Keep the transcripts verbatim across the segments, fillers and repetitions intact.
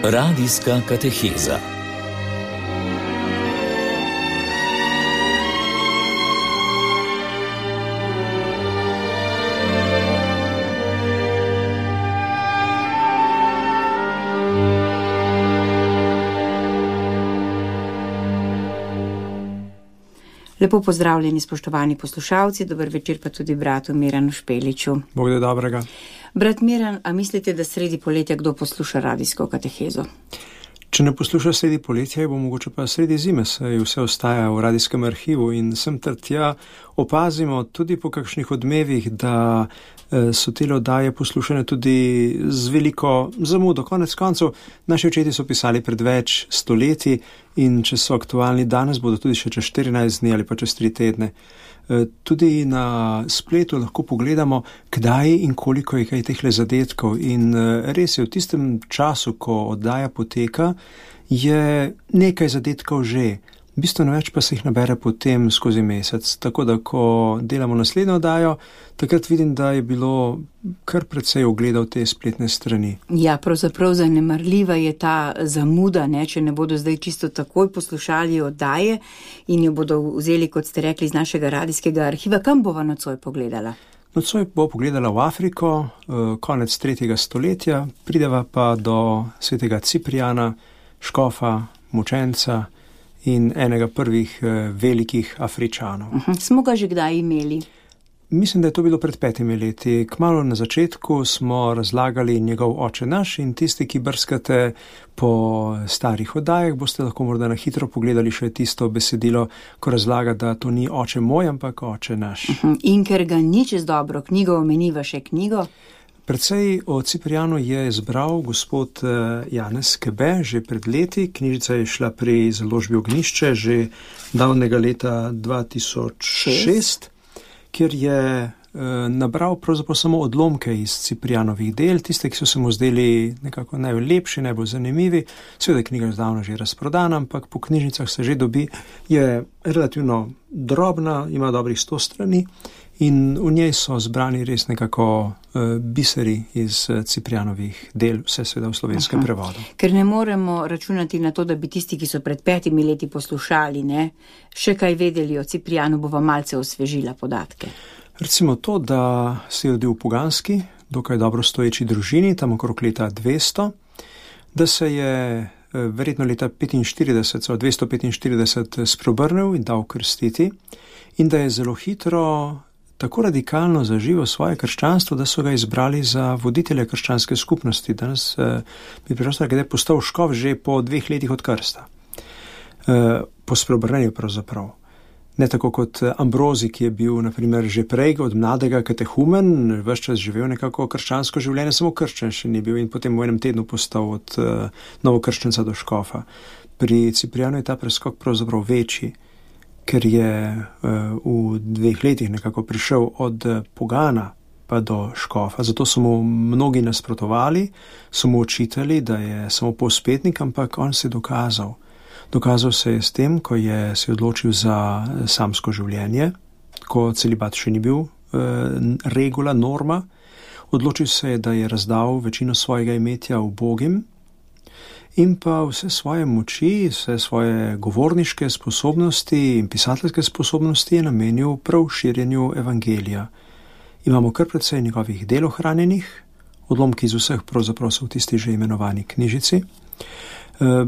Radijska kateheza. Lepo pozdravljeni, spoštovani poslušalci, dober večer pa tudi bratu Miranu Špeliču. Bog da dobrega. Brat Miran, a mislite, da sredi poletja kdo posluša radijsko katehezo? Če ne posluša sredi poletja, bo mogoče pa sredi zime, saj vse ostaja v radijskem arhivu in sem ter tja opazimo tudi po kakšnih odmevih, da so te oddaje poslušane tudi z veliko zamudo. Konec koncev, naši očeti so pisali pred več stoletji in če so aktualni danes, bodo tudi še čez štirinajst dni ali pa čez tri tedne. Tudi na spletu lahko pogledamo, kdaj in koliko je kaj tehle zadetkov in res je, v tistem času, ko oddaja poteka, je nekaj zadetkov že. Bistveno več pa se jih nabere potem skozi mesec. Tako da, ko delamo naslednjo oddajo, takrat vidim, da je bilo kar precej ogledov te spletne strani. Ja, pravzaprav zanemarljiva je ta zamuda, ne, če ne bodo zdaj čisto takoj poslušali oddaje in jo bodo vzeli, kot ste rekli, iz našega radijskega arhiva. Kam bova nocoj pogledala? Nocoj bo pogledala v Afriko, konec tretjega stoletja, prideva pa do svetega Ciprijana, škofa, mučenca in enega prvih eh, velikih Afričanov. Uh-huh. Smo ga že kdaj imeli? Mislim, da je to bilo pred petimi leti. Kmalu na začetku smo razlagali njegov oče naš in tisti, ki brskate po starih oddajah, boste lahko morda na hitro pogledali še tisto besedilo, ko razlaga, da to ni oče moj, ampak oče naš. Uh-huh. In ker ga ni čez dobro knjigo, omeniva še knjigo? Predvsej o Ciprijanu je izbral gospod Janez Kebe že pred leti. Knjižica je šla pri založbi Ognjišče že davnega leta dva tisoč šest, kjer je nabral pravzaprav samo odlomke iz Ciprijanovih del, tiste, ki so se mu zdeli nekako najlepši, najbolj zanimivi. Seveda je knjiga zdavno že razprodana, ampak po knjižnicah se že dobi, je relativno drobna, ima dobrih sto strani. In v njej so zbrani res nekako uh, biseri iz uh, Ciprijanovih del, vse seveda v slovenskem Aha. prevodu. Ker ne moremo računati na to, da bi tisti, ki so pred petimi leti poslušali, ne, še kaj vedeli o Ciprijanu, bova malce osvežila podatke. Recimo to, da se je rodil v poganski, dokaj dobro stoječi družini, tam okrog leta dvesto, da se je uh, verjetno leta petinštirideset, so dvesto petinštirideset spreobrnil in dal krstiti in da je zelo hitro tako radikalno zaživel svoje krščanstvo, da so ga izbrali za voditelja krščanske skupnosti. Danes eh, bi preprosto da je postal škof že po dveh letih od krsta. Eh, po spreobrnenju pravzaprav. Ne tako kot Ambrozi, ki je bil naprimer že prej od mladega katehumen, ves čas živel nekako krščansko življenje, samo krščen še ni bil in potem v enem tednu postal od eh, novokrščenca do škofa. Pri Ciprijanu je ta preskok pravzaprav večji, ker je uh, v dveh letih nekako prišel od pogana pa do škofa. Zato so mu mnogi nasprotovali, so mu očitali, da je samo povspetnik, ampak on se je dokazal. Dokazal se je s tem, ko je se odločil za samsko življenje, ko celibat še ni bil uh, regula, norma. Odločil se je, da je razdal večino svojega imetja ubogim, in pa vse svoje moči, vse svoje govorniške sposobnosti in pisateljske sposobnosti je namenil prav širjenju evangelija. Imamo kar precej njegovih del ohranjenih, odlomki iz vseh pravzaprav so v tisti že imenovani knjižici. E,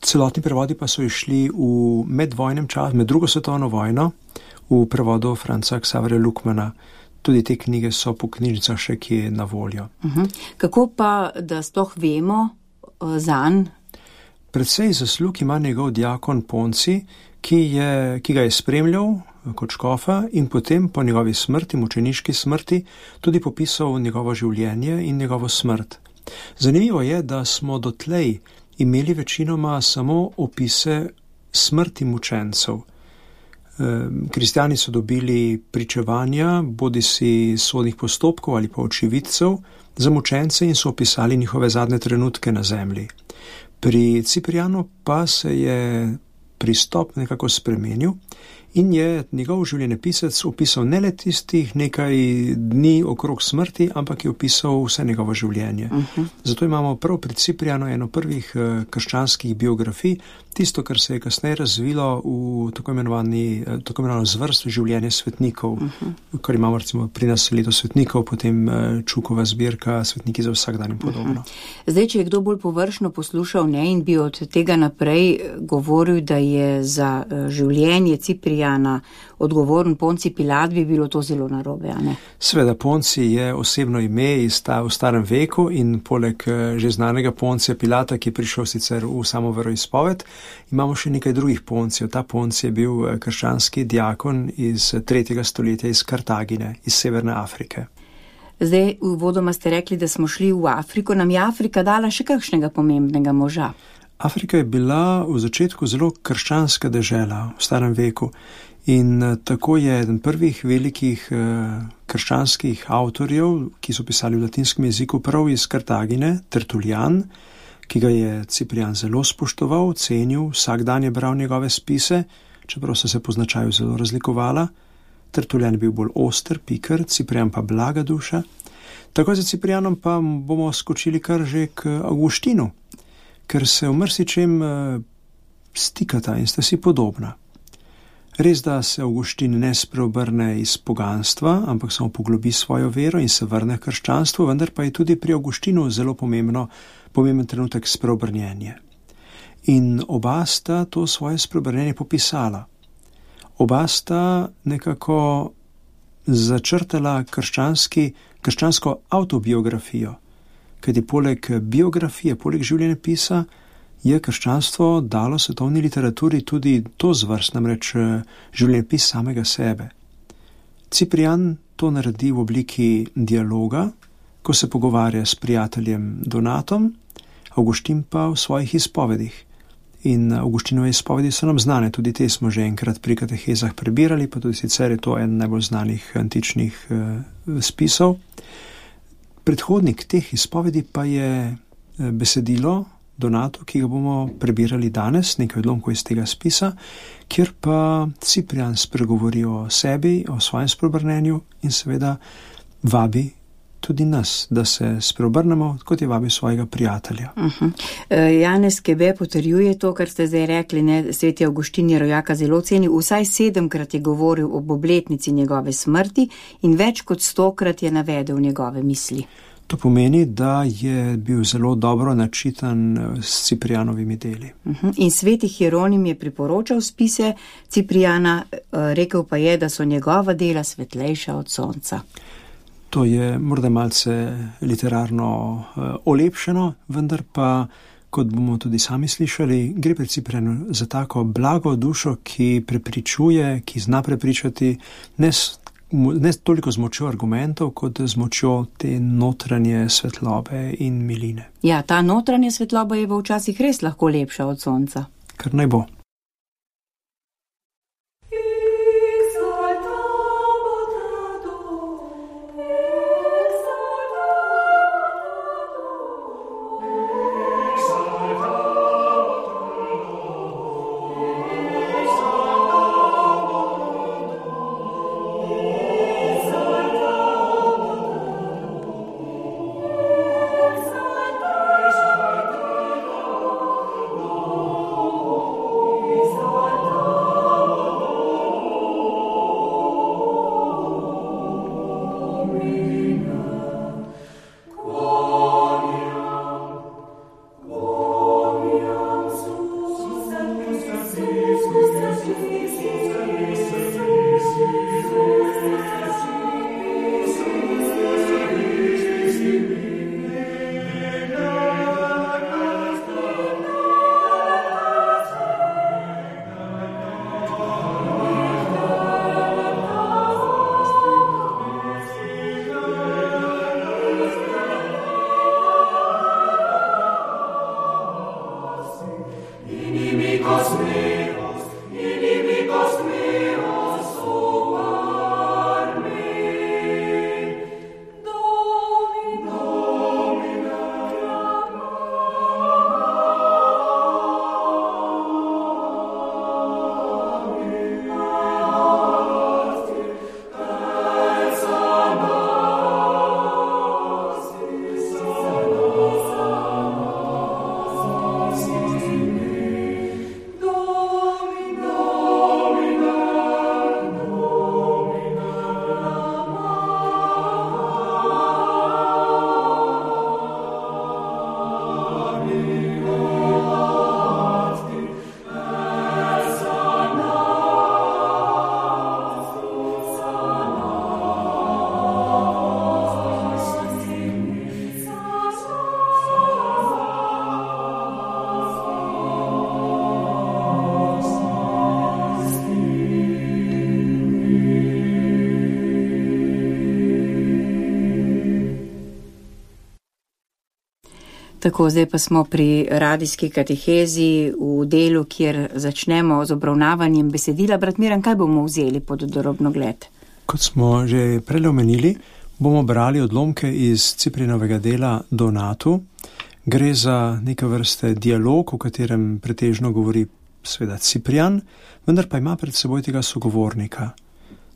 celotni prevodi pa so išli v medvojnem času, med drugo svetovno vojno, v prevodu Franca Xaverja Lukmana. Tudi te knjige so po knjižnicah še kje na voljo. Uh-huh. Kako pa, da sploh vemo zanj? Predvsej zaslug ima njegov diakon Ponci, ki, je, ki ga je spremljal kot škofa in potem po njegovi smrti, mučeniški smrti, tudi popisal njegovo življenje in njegovo smrt. Zanimivo je, da smo dotlej imeli večinoma samo opise smrti mučencev. Kristjani so dobili pričevanja, bodisi sodnih postopkov ali pa očividcev za mučence in so opisali njihove zadnje trenutke na zemlji. Pri Ciprijanu pa se je pristop nekako spremenil In je njegov življenjepisec opisal ne le tistih nekaj dni okrog smrti, ampak je opisal vse njegovo življenje. Uh-huh. Zato imamo prav pri Ciprianu eno prvih uh, krščanskih biografij, tisto, kar se je kasneje razvilo v tako imenovani, uh, tako imenovano zvrst življenje svetnikov, uh-huh. kar imamo recimo pri nas leto svetnikov, potem uh, Čukova zbirka, svetniki za vsak dan in podobno. Uh-huh. Zdaj, če je kdo bolj površno poslušal, ne, in bi od tega naprej govoril, da je za uh, življenje Cipriana odgovoren Ponci Pilat, bi bilo to zelo narobe, a ne? Sveda, Ponci je osebno ime iz ta, v starem veku in poleg že znanega Poncija Pilata, ki je prišel sicer v samo veroizpoved, imamo še nekaj drugih Poncijev. Ta Ponci je bil krščanski diakon iz tretjega stoletja iz Kartagine, iz Severne Afrike. Zdaj, uvodoma ste rekli, da smo šli v Afriko. Nam je Afrika dala še kakšnega pomembnega moža? Afrika je bila v začetku zelo krščanska dežela v starem veku in tako je eden prvih velikih krščanskih avtorjev, ki so pisali v latinskem jeziku prav iz Kartagine, Tertulian, ki ga je Ciprian zelo spoštoval, cenil, vsak dan je bral njegove spise, čeprav so se po značaju zelo razlikovala. Tertulian je bil bolj oster, piker, Ciprian pa blaga duša. Tako za Ciprianom pa bomo skočili kar že k Avguštinu, ker se v marsičem stikata in sta si podobna. Res, da se Avguštin ne spreobrne iz poganstva, ampak samo poglobi svojo vero in se vrne k krščanstvu, vendar pa je tudi pri Avguštinu zelo pomembno, pomemben trenutek spreobrnjenje. In oba sta to svoje spreobrnjenje popisala. Oba sta nekako začrtala krščanski, krščansko avtobiografijo, kajti poleg biografije, poleg življenjepisa je krščanstvo dalo svetovni literaturi tudi to zvrst, namreč življenjepis samega sebe. Ciprian to naredi v obliki dialoga, ko se pogovarja s prijateljem Donatom, Avguštin pa v svojih izpovedih. In Avguštinove izpovedi so nam znane, tudi te smo že enkrat pri katehezah prebirali, pa tudi sicer je to en najbolj znanih antičnih uh, spisov. Predhodnik teh izpovedi pa je besedilo Donato, ki ga bomo prebirali danes, nekaj odlomkov iz tega spisa, kjer pa Ciprian spregovori o sebi, o svojem spreobrnenju in seveda vabi tudi nas, da se spreobrnemo, kot je vabi svojega prijatelja. Uh-huh. Janez Kebe potrjuje to, kar ste zdaj rekli, ne, sveti Avguštin je rojaka zelo ceni, vsaj sedemkrat je govoril ob obletnici njegove smrti in več kot stokrat je navedel njegove misli. To pomeni, da je bil zelo dobro načitan s Ciprianovimi deli. Uh-huh. In sveti Hieronim je priporočal spise Cipriana, rekel pa je, da so njegova dela svetlejša od sonca. To je morda malce literarno uh, olepšeno, vendar pa, kot bomo tudi sami slišali, gre pri Ciprianu za tako blago dušo, ki prepričuje, ki zna prepričati ne, ne toliko z močjo argumentov, kot z močjo te notranje svetlobe in miline. Ja, ta notranja svetloba je včasih res lahko lepša od sonca. Kar naj bo. Tako, zdaj pa smo pri radijski katehezi v delu, kjer začnemo z obravnavanjem besedila. Brat Miran, kaj bomo vzeli pod drobnogled? Kot smo že prej omenili, bomo brali odlomke iz Ciprijanovega dela Donatu. Gre za neke vrste dialog, v katerem pretežno govori seveda Ciprijan, vendar pa ima pred seboj tega sogovornika.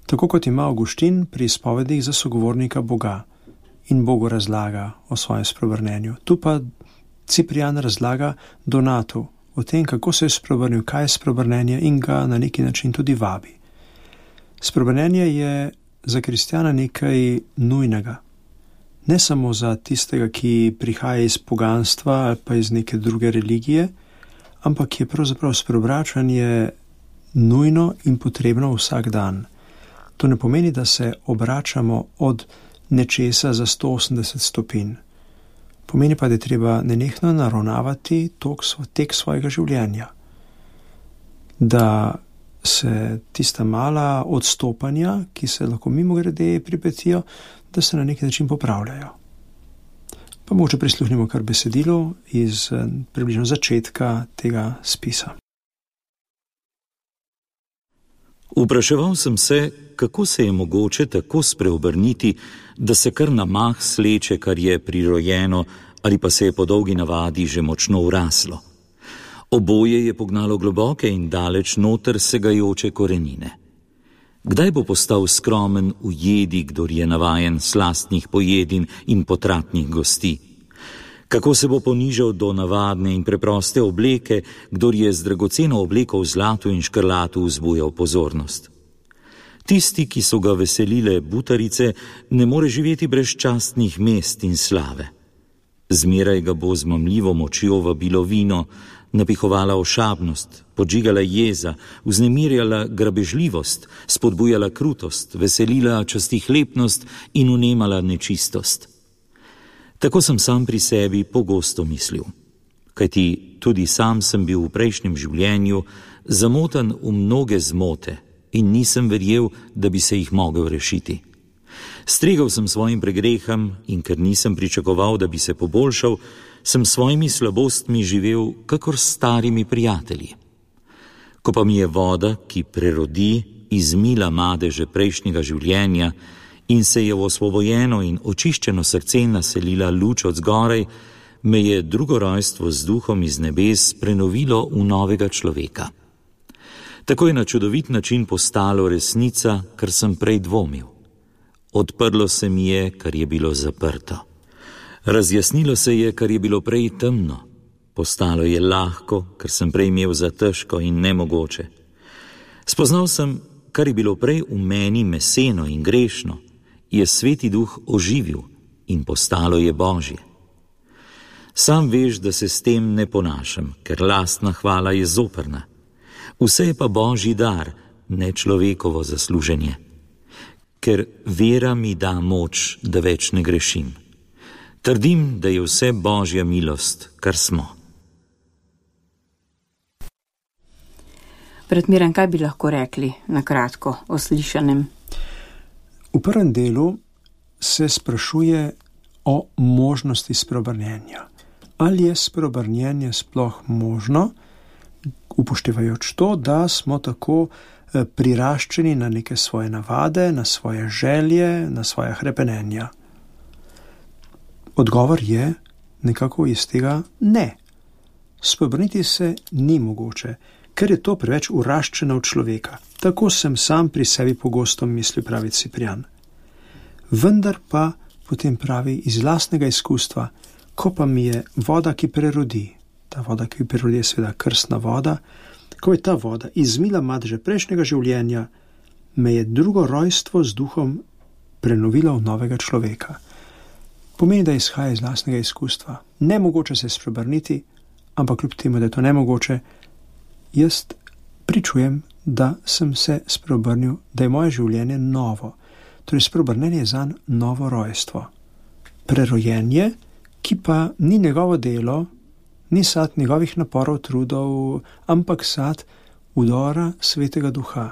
Tako kot ima Avguštin pri izpovedih za sogovornika Boga in Bogu razlaga o svojem spreobrnenju. Tu pa Ciprijan razlaga Donatu o tem, kako se je spreobrnil, kaj je spreobrnenje in ga na neki način tudi vabi. Spreobrnenje je za kristjana nekaj nujnega. Ne samo za tistega, ki prihaja iz poganstva ali pa iz neke druge religije, ampak je pravzaprav spreobračanje nujno in potrebno vsak dan. To ne pomeni, da se obračamo od nečesa za sto osemdeset stopinj. Pomeni pa, da je treba nenehno naravnavati tok, tek svojega življenja. Da se tista mala odstopanja, ki se lahko mimogrede pripetijo, da se na neki način popravljajo. Pa mogoče prisluhnimo kar besedilo iz približno začetka tega spisa. Vpraševal sem se, kako se je mogoče tako spreobrniti, da se kar na mah sleče, kar je prirojeno, ali pa se je po dolgi navadi že močno vraslo. Oboje je pognalo globoke in daleč noter segajoče korenine. Kdaj bo postal skromen v jedi, kdor je navajen slastnih pojedin in potratnih gosti? Kako se bo ponižal do navadne in preproste obleke, kdor je z dragoceno obleko v zlatu in škrlatu vzbujal pozornost? Tisti, ki so ga veselile butarice, ne more živeti brez častnih mest in slave. Zmeraj ga bo z mamljivo močjo vabilo vino, napihovala ošabnost, podžigala jeza, vznemirjala grabežljivost, spodbujala krutost, veselila častihlepnost in vnemala nečistost. Tako sem sam pri sebi pogosto mislil, kajti tudi sam sem bil v prejšnjem življenju zamotan v mnoge zmote in nisem verjel, da bi se jih mogel rešiti. Stregal sem svojim pregreham in ker nisem pričakoval, da bi se poboljšal, sem svojimi slabostmi živel kakor s starimi prijatelji. Ko pa mi je voda, ki prerodi, izmila madeže prejšnjega življenja in se je v osvobojeno in očiščeno srce naselila luč od zgoraj, me je drugo rojstvo z duhom iz nebes prenovilo v novega človeka. Tako je na čudovit način postalo resnica, kar sem prej dvomil. Odprlo se mi je, kar je bilo zaprto. Razjasnilo se je, kar je bilo prej temno. Postalo je lahko, kar sem prej imel za težko in nemogoče. Spoznal sem, kar je bilo prej v meni meseno in grešno, je Sveti Duh oživil in postalo je Božje. Sam veš, da se s tem ne ponašam, ker lastna hvala je zoprna. Vse je pa Božji dar, ne človekovo zasluženje. Ker vera mi da moč, da več ne grešim. Trdim, da je vse Božja milost, kar smo. Brat Miran, kaj bi lahko rekli na kratko o slišanem? V prvem delu se sprašuje o možnosti spreobrnjenja. Ali je spreobrnjenje sploh možno, upoštevajoč to, da smo tako priraščeni na neke svoje navade, na svoje želje, na svoje hrepenenja? Odgovor je nekako iz tega ne. Spreobrniti se ni mogoče, ker je to preveč uraščeno v človeka. Tako sem sam pri sebi pogosto mislil, pravi Ciprijan. Vendar pa potem pravi iz lastnega izkustva, ko pa mi je voda, ki prerodi, ta voda, ki prerodi je seveda krstna voda, ko je ta voda izmila madeže prejšnjega življenja, me je drugo rojstvo z duhom prenovilo v novega človeka. Pomeni, da izhaja iz lastnega izkustva. Nemogoče se spreobrniti, ampak kljub temu, da je to nemogoče, jaz pričujem, da sem se spreobrnil, da je moje življenje novo. Torej, spreobrnenje je zanj novo rojstvo. Prerojenje, ki pa ni njegovo delo, ni sad njegovih naporov, trudov, ampak sad vdora Svetega Duha.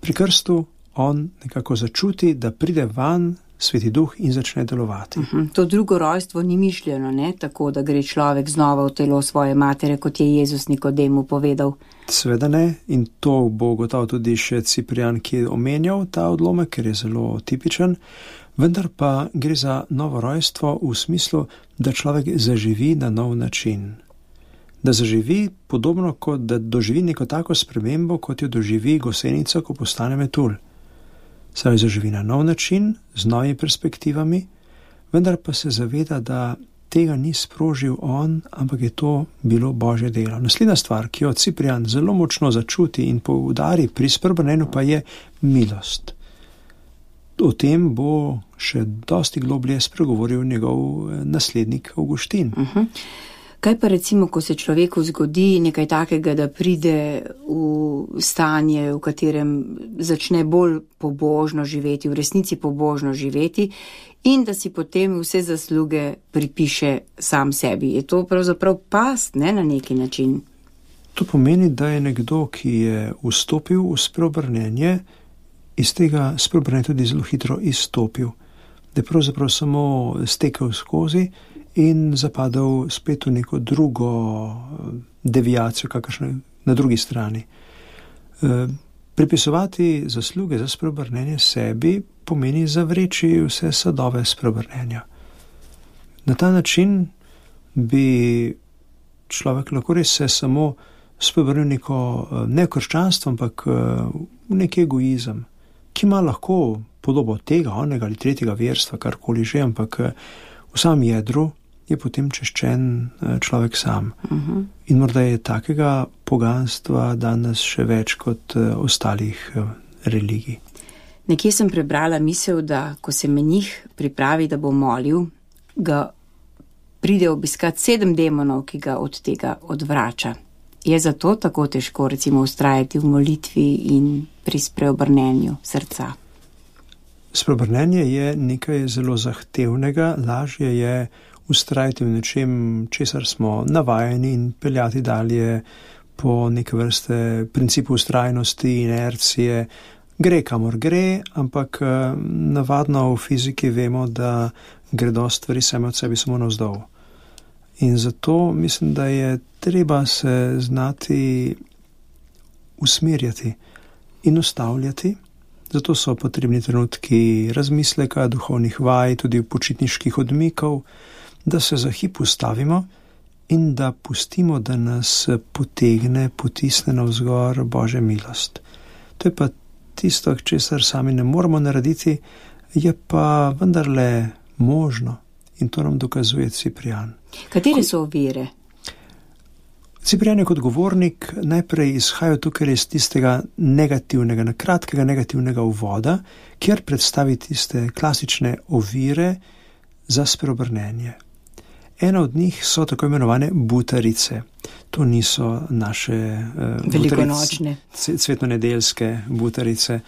Pri krstu on nekako začuti, da pride van Sveti Duh in začne delovati. Uh-huh. To drugo rojstvo ni mišljeno, ne? Tako, da gre človek znova v telo svoje matere, kot je Jezus Nikodemu povedal. Sveda ne, in to bo gotovo tudi še Ciprian, ki je omenjal ta odlomek, ker je zelo tipičen, vendar pa gre za novo rojstvo v smislu, da človek zaživi na nov način. Da zaživi podobno, kot da doživi neko tako spremembo, kot jo doživi gosenica, ko postane metulj. Saj zaživi na nov način, z novimi perspektivami, vendar pa se zaveda, da tega ni sprožil on, ampak je to bilo Božje delo. Naslednja stvar, ki jo Ciprian zelo močno začuti in poudari pri spreobrnenju, pa je milost. O tem bo še dosti globlje spregovoril njegov naslednik Avguštin. Uh-huh. Kaj pa recimo, ko se človeku zgodi nekaj takega, da pride v stanje, v katerem začne bolj pobožno živeti, v resnici pobožno živeti in da si potem vse zasluge pripiše sam sebi. Je to pravzaprav past, ne, na neki način? To pomeni, da je nekdo, ki je vstopil v spreobrnenje, iz tega spreobrnenja tudi zelo hitro izstopil. Da je pravzaprav samo stekel skozi in zapadal spet v neko drugo deviacijo, kakršne na drugi strani. E, pripisovati zasluge za spreobrnenje sebi pomeni zavreči vse sadove spreobrnenja. Na ta način bi človek lahko res se samo spreobrnil neko ne krščanstvo, ampak v neki egoizem, ki ima lahko podobo tega, onega ali tretjega verstva, karkoli že, ampak v samem jedru je potem češčen človek sam. Uh-huh. In morda je takega poganstva danes še več kot ostalih religij. Nekje sem prebrala misel, da ko se menih pripravi, da bo molil, ga pride obiskat sedem demonov, ki ga od tega odvrača. Je zato tako težko recimo ustrajati v molitvi in pri spreobrnenju srca? Spreobrnenje je nekaj zelo zahtevnega, lažje je ustrajati v nečem, česar smo navajeni in peljati dalje po neke vrste principu ustrajnosti, inercije. Gre kamor gre, ampak navadno v fiziki vemo, da gredo stvari same od sebi samo navzdol. In zato mislim, da je treba se znati usmerjati in ustavljati. Zato so potrebni trenutki razmisleka, duhovnih vaj, tudi počitniških odmikov, da se za hip ustavimo in da pustimo, da nas potegne, potisne navzgor Božja milost. To je pa tisto, česar sami ne moramo narediti, je pa vendarle možno in to nam dokazuje Ciprian. Katere so ovire? Ciprian je kot govornik najprej izhajal tukaj iz tistega negativnega, na kratkega negativnega uvoda, kjer predstavi tiste klasične ovire za spreobrnenje. Ena od njih so tako imenovane butarice. To niso naše uh, velikonočne, cvetnonedeljske butarice.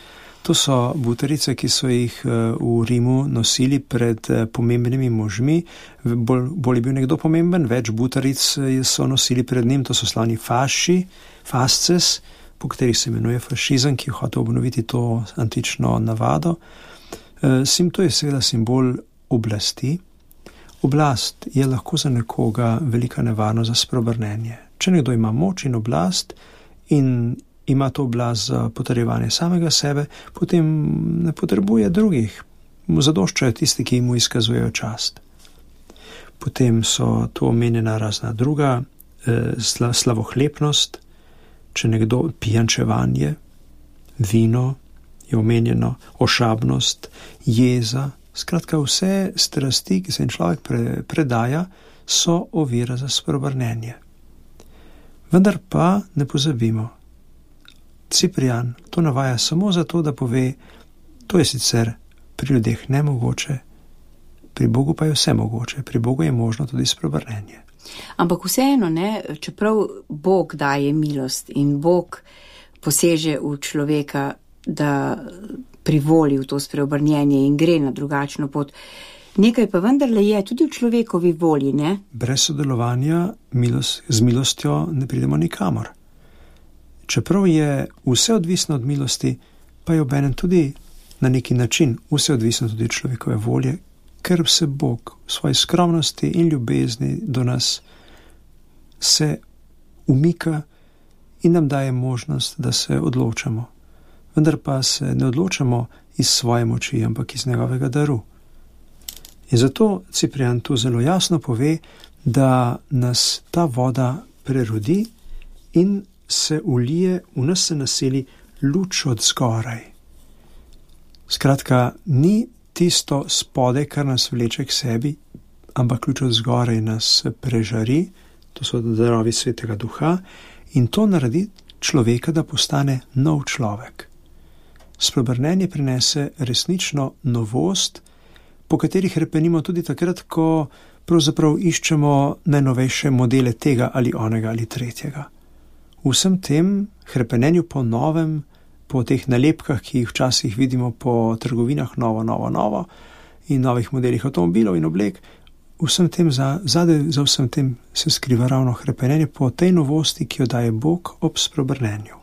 To so butarice, ki so jih uh, v Rimu nosili pred uh, pomembnimi možmi. Bolj, bolj je bil nekdo pomemben, več butaric so nosili pred njim, to so slavni faši, fasces, po katerih se imenuje fašizem, ki je hotel obnoviti to antično navado. Uh, sim, to je seveda simbol oblasti. Oblast je lahko za nekoga velika nevarnost za spreobrnenje. Če nekdo ima moč in oblast in ima to oblast za potrjevanje samega sebe, potem ne potrebuje drugih. Mu zadoščajo tisti, ki mu izkazujejo čast. Potem so to omenjena razna druga, eh, sla, slavohlepnost, če nekdo pijančevanje, vino je omenjeno, ošabnost, jeza. Skratka, vse strasti, ki se jim človek pre, predaja, so ovira za spreobrnenje. Vendar pa ne pozabimo, Ciprian to navaja samo zato, da pove, to je sicer pri ljudeh nemogoče, pri Bogu pa je vse mogoče, pri Bogu je možno tudi spreobrnenje. Ampak vseeno, ne, čeprav Bog daje milost in Bog poseže v človeka, da privoli v to spreobrnjenje in gre na drugačno pot. Nekaj pa vendarle je tudi v človekovi volji, ne? Brez sodelovanja milost, z milostjo ne pridemo nikamor. Čeprav je vse odvisno od milosti, pa je obenem tudi na neki način, vse odvisno tudi od človekove volje, ker se Bog v svoji skromnosti in ljubezni do nas se umika in nam daje možnost, da se odločamo. Vendar pa se ne odločamo iz svoje moči, ampak iz njegovega daru. In zato Ciprian tu zelo jasno pove, da nas ta voda prerodi in se ulije, v nas se naseli luč od zgoraj. Skratka, ni tisto spode, kar nas vleče k sebi, ampak luč od zgoraj nas prežari, to so darovi Svetega Duha, in to naredi človeka, da postane nov človek. Spreobrnenje prinese resnično novost, po katerih repenimo tudi takrat, ko pravzaprav iščemo najnovejše modele tega ali onega ali tretjega. V vsem tem hrepenenju po novem, po teh nalepkah, ki jih včasih vidimo po trgovinah novo, novo, novo in novih modelih avtomobilov in oblek, vsem tem za, zadaj za vsem tem se skriva ravno hrepenenje po tej novosti, ki jo daje Bog ob spreobrnenju.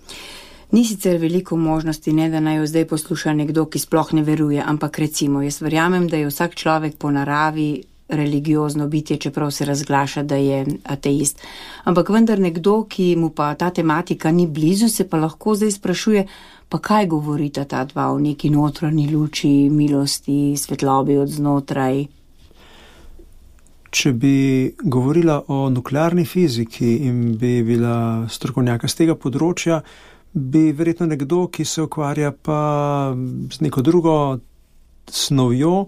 Ni sicer veliko možnosti, ne, da naj jo zdaj posluša nekdo, ki sploh ne veruje, ampak recimo, jaz verjamem, da je vsak človek po naravi religiozno bitje, čeprav se razglaša, da je ateist. Ampak vendar nekdo, ki mu pa ta tematika ni blizu, se pa lahko zdaj sprašuje, pa kaj govorita ta dva o neki notranji luči, milosti, svetlobi od znotraj? Če bi govorila o nuklearni fiziki in bi bila strokovnjaka z tega področja, bi verjetno nekdo, ki se ukvarja pa z neko drugo snovjo,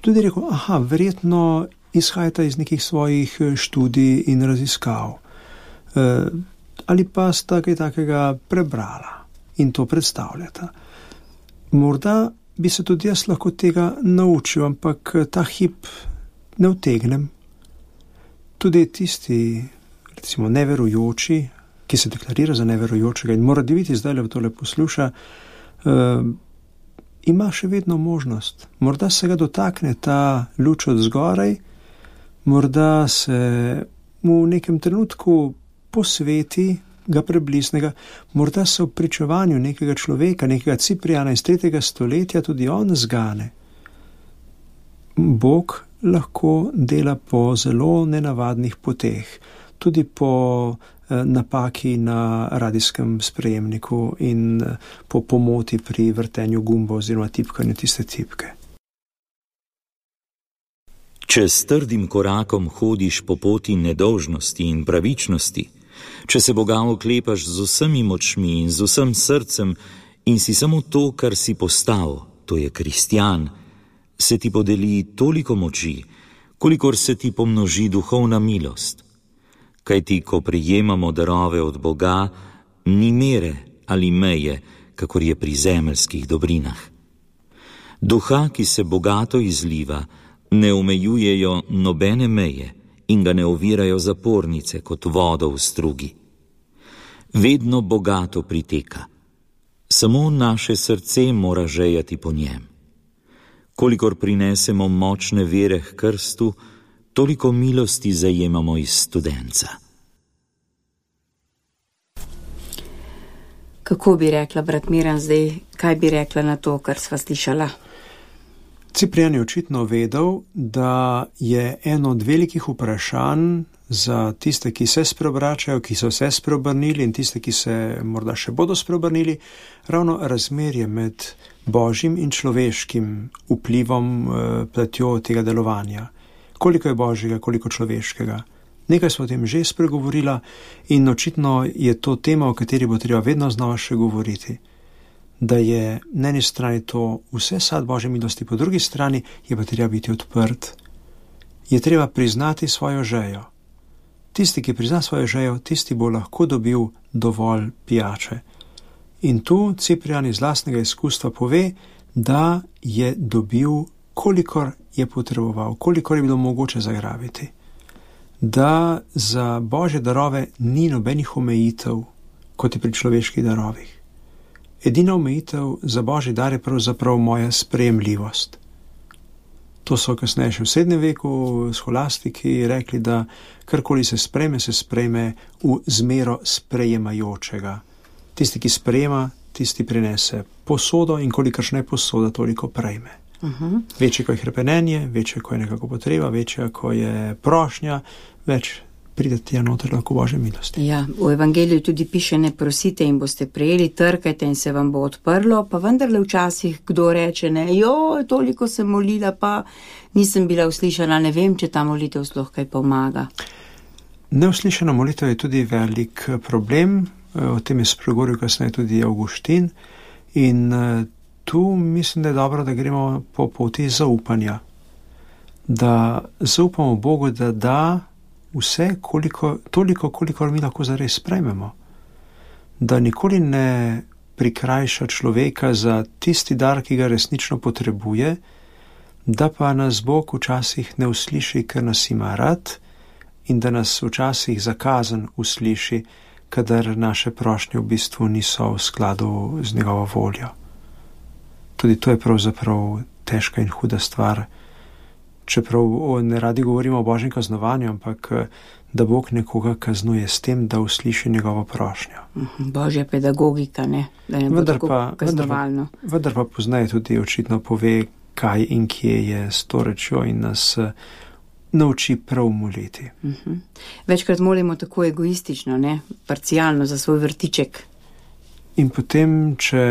tudi rekel, aha, verjetno izhajata iz nekih svojih študij in raziskav. Ali pa sta kaj takega prebrala in to predstavljata. Morda bi se tudi jaz lahko tega naučil, ampak ta hip ne utegnem. Tudi tisti, recimo, neverujoči, ki se deklarira za neverujočega in mora diviti zdaj le v tole posluša, uh, ima še vedno možnost. Morda se ga dotakne ta luč od zgoraj, morda se mu v nekem trenutku posveti, ga preblisnega, morda se v pričevanju nekega človeka, nekega Cipriana iz tretjega stoletja tudi on zgane. Bog lahko dela po zelo nenavadnih poteh, tudi po napaki na radijskem sprejemniku in po pomoti pri vrtenju gumba oziroma tipkanju tiste tipke. Če s trdim korakom hodiš po poti nedolžnosti in pravičnosti, če se Boga oklepaš z vsemi močmi in z vsem srcem in si samo to, kar si postal, to je kristjan, se ti podeli toliko moči, kolikor se ti pomnoži duhovna milost. Kajti, ko prijemamo darove od Boga, ni mere ali meje, kakor je pri zemeljskih dobrinah. Duha, ki se bogato izliva, ne omejujejo nobene meje in ga ne ovirajo zapornice kot vodo v strugi. Vedno bogato priteka. Samo naše srce mora žejati po njem. Kolikor prinesemo močne vere h krstu, toliko milosti zajemamo iz studenca. Kako bi rekla, brat Miran, zdaj, kaj bi rekla na to, kar sva slišala? Ciprian je očitno vedel, da je eno od velikih vprašanj za tiste, ki se spreobračajo, ki so se spreobrnili in tiste, ki se morda še bodo spreobrnili, ravno razmerje med božjim in človeškim vplivom, platjo tega delovanja. Koliko je božjega, koliko človeškega. Nekaj smo o tem že spregovorila in očitno je to tema, o kateri bo treba vedno znova še govoriti. Da je na eni strani to vse sad Božje milosti, po drugi strani je pa treba biti odprt. Je treba priznati svojo žejo. Tisti, ki prizna svojo žejo, tisti bo lahko dobil dovolj pijače. In tu Ciprian iz lastnega izkustva pove, da je dobil, kolikor je potreboval, kolikor je bilo mogoče zagrabiti. Da za Božje darove ni nobenih omejitev, kot je pri človeških darovih. Edina omejitev za Božji dar je pravzaprav moja sprejemljivost. To so kasneje še v srednjem veku scholastiki rekli, da karkoli se sprejme, se sprejme v zmero sprejemajočega. Tisti, ki sprejema, tisti prinese posodo in kolikršna je posoda, toliko prejme. Uh-huh. Večje, ko je hrepenenje, večje, ko je nekako potreba, večje, ko je prošnja, več pride tja noter lahko Božje milosti. Ja, v evangeliju tudi piše, ne prosite in boste prejeli, trkajte in se vam bo odprlo, pa vendarle včasih kdo reče, ne, jo, toliko sem molila, pa nisem bila uslišana, ne vem, če ta molitev sploh kaj pomaga. Neuslišana molitev je tudi velik problem, o tem je spregovoril kasneje tudi Avguštin in tu mislim, da je dobro, da gremo po poti zaupanja, da zaupamo Bogu, da da vse, koliko, toliko, koliko mi lahko zares sprejmemo. Da nikoli ne prikrajša človeka za tisti dar, ki ga resnično potrebuje, da pa nas Bog včasih ne usliši, ker nas ima rad in da nas včasih zakazan usliši, kadar naše prošnje v bistvu niso v skladu z njegovo voljo. Tudi to je pravzaprav težka in huda stvar, čeprav ne radi govorimo o Božjem kaznovanju, ampak da Bog nekoga kaznuje s tem, da usliši njegovo prošnjo. Božja pedagogika, ne? Da ne bo vendar tako pa, kaznovalno. Vendar, vendar pa poznaje tudi očitno pove, kaj in kje je s to rečjo in nas nauči prav moliti. Uh-huh. Večkrat molimo tako egoistično, ne? Parcialno za svoj vrtiček. In potem, če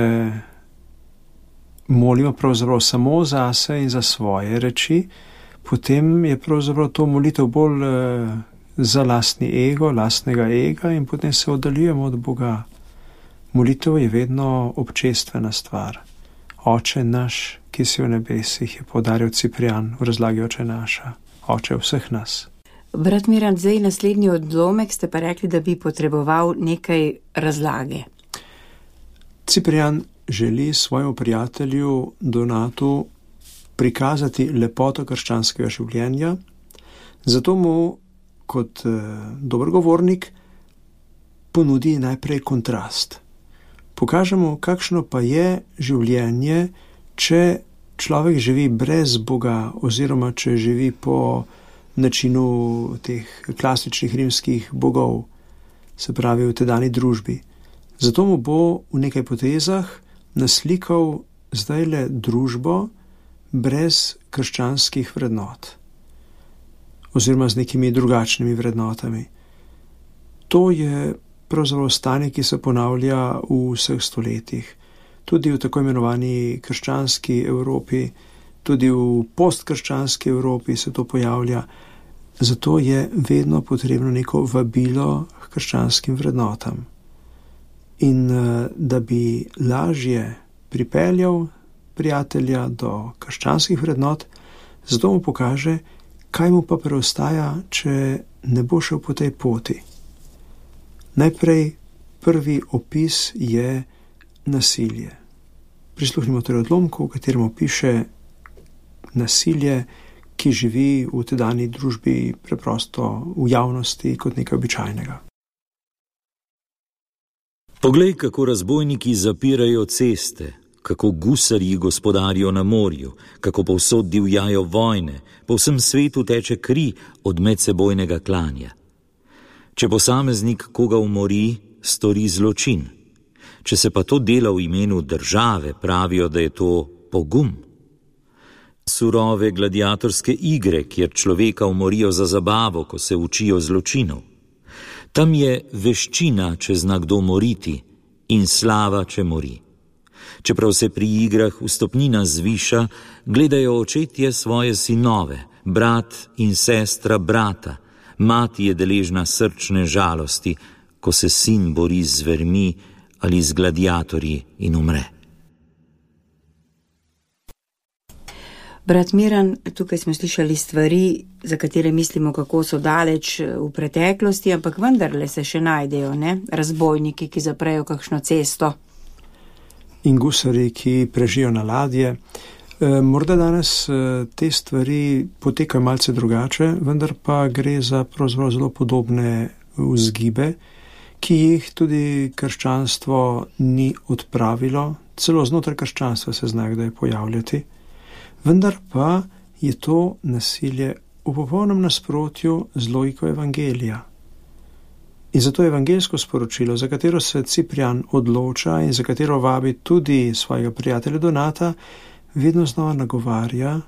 molimo pravzaprav samo zase in za svoje reči, potem je pravzaprav to molitev bolj uh, za lastni ego, lastnega ega in potem se oddaljujemo od Boga. Molitev je vedno občestvena stvar. Oče naš, ki si v nebesih, je poudaril Ciprijan v razlagi Oče naša, Oče vseh nas. Brat Miran, zdaj naslednji odlomek ste pa rekli, da bi potreboval nekaj razlage. Ciprijan želi svojemu prijatelju Donatu prikazati lepoto krščanskega življenja, zato mu kot eh, dober govornik ponudi najprej kontrast. Pokažemo, kakšno pa je življenje, če človek živi brez Boga oziroma če živi po načinu teh klasičnih rimskih bogov, se pravi v tedajni družbi. Zato mu bo v nekaj potezah naslikal zdajle družbo brez krščanskih vrednot oziroma z nekimi drugačnimi vrednotami. To je pravzaprav stanje, ki se ponavlja v vseh stoletjih. Tudi v tako imenovani krščanski Evropi, tudi v postkrščanski Evropi se to pojavlja. Zato je vedno potrebno neko vabilo k krščanskim vrednotam. In da bi lažje pripeljal prijatelja do krščanskih vrednot, zato mu pokaže, kaj mu pa preostaja, če ne bo šel po tej poti. Najprej prvi opis je nasilje. Prisluhnimo torej odlomku, v katerem piše nasilje, ki živi v tedanji družbi preprosto v javnosti kot nekaj običajnega. Poglej, kako razbojniki zapirajo ceste, kako gusarji gospodarijo na morju, kako povsod divjajo vojne, po vsem svetu teče kri od medsebojnega klanja. Če posameznik koga umori, stori zločin. Če se pa to dela v imenu države, pravijo, da je to pogum. Surove gladiatorske igre, kjer človeka umorijo za zabavo, ko se učijo zločinov. Tam je veščina, če zna kdo moriti, in slava, če mori. Čeprav se pri igrah vstopnina zviša, gledajo očetje svoje sinove, brat in sestra brata, mati je deležna srčne žalosti, ko se sin bori z zvermi ali z gladiatorji in umre. Brat Miran, tukaj smo slišali stvari, za katere mislimo, kako so daleč v preteklosti, ampak vendarle se še najdejo, ne? Razbojniki, ki zaprejo kakšno cesto. In gusari, ki prežijo na ladje. E, morda danes te stvari potekajo malce drugače, vendar pa gre za pravzaprav zelo podobne vzgibe, ki jih tudi krščanstvo ni odpravilo, celo znotraj krščanstva se zna kdaj pojavljati. Vendar pa je to nasilje v popolnem nasprotju z logiko evangelija. In zato je evangeljsko sporočilo, za katero se Ciprian odloča in za katero vabi tudi svojega prijatelja Donata, vedno znova nagovarja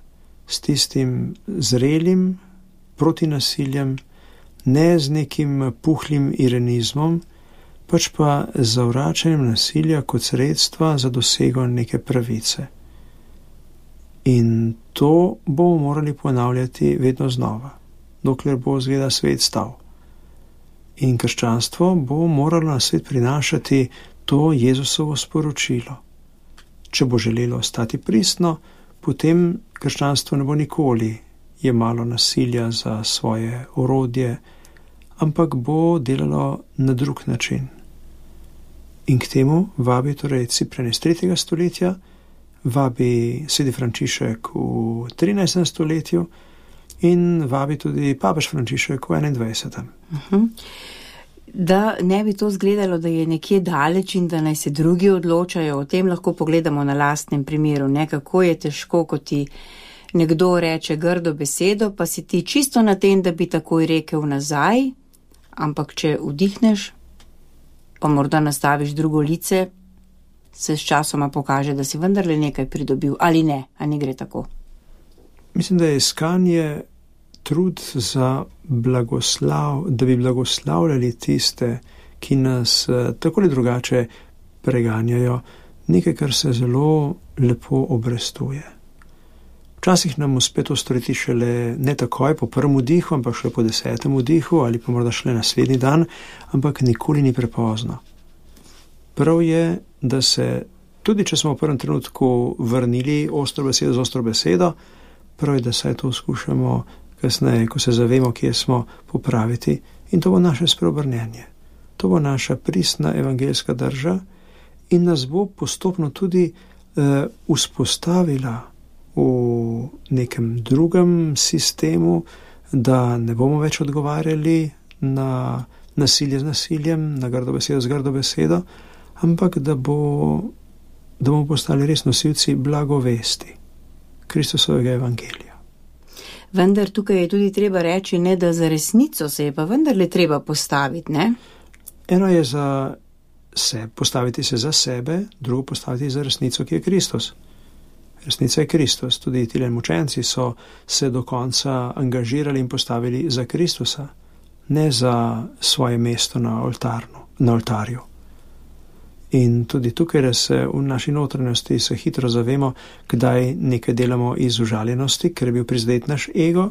s tistim zrelim proti nasiljem, ne z nekim puhlim ironizmom, pač pa z zavračanjem nasilja kot sredstva za dosego neke pravice. In to bomo morali ponavljati vedno znova, dokler bo zgleda svet stal. In krščanstvo bo moralo na svet prinašati to Jezusovo sporočilo. Če bo želelo ostati pristno, potem krščanstvo ne bo nikoli jemalo nasilja za svoje orodje, ampak bo delalo na drug način. In k temu vabi torej Ciprian iz tretjega stoletja, vabi sveti Frančišek v trinajstem stoletju in vabi tudi papež Frančišek v enaindvajsetem. Uh-huh. Da ne bi to zgledalo, da je nekje daleč in da naj se drugi odločajo, o tem lahko pogledamo na lastnem primeru, ne, kako je težko, ko ti nekdo reče grdo besedo, pa si ti čisto na tem, da bi takoj rekel nazaj, ampak če vdihneš, pa morda nastaviš drugo lice, se s časoma pokaže, da si vendarle nekaj pridobil, ali ne, a ne gre tako. Mislim, da je iskanje trud za blagoslav, da bi blagoslavljali tiste, ki nas tako ali drugače preganjajo, nekaj, kar se zelo lepo obrestuje. Včasih nam uspe to storiti šele ne takoj po prvem vdihu, ampak šele po desetem vdihu ali pa morda šele naslednji dan, ampak nikoli ni prepozno. Prav je, da se, tudi če smo v prvem trenutku vrnili ostro besedo z ostro besedo, prav je, da saj to skušamo kasneje, ko se zavemo, kje smo, popraviti, in to bo naše spreobrnjenje. To bo naša pristna evangeljska drža in nas bo postopno tudi uh, vzpostavila v nekem drugem sistemu, da ne bomo več odgovarjali na nasilje z nasiljem, na grdo besedo z grdo besedo, ampak da, bo, da bomo postali res nosilci blagovesti Kristusovega evangelija. Vendar tukaj je tudi treba reči, ne, da za resnico se je pa vendarle treba postaviti, ne? Eno je za se, postaviti se za sebe, drugo postaviti za resnico, ki je Kristus. Resnica je Kristus. Tudi tile mučenci so se do konca angažirali in postavili za Kristusa, ne za svoje mesto na oltarnu, na oltarju. In tudi tukaj, da se v naši notranjosti se hitro zavemo, kdaj nekaj delamo iz užaljenosti, ker je bil prizadet naš ego,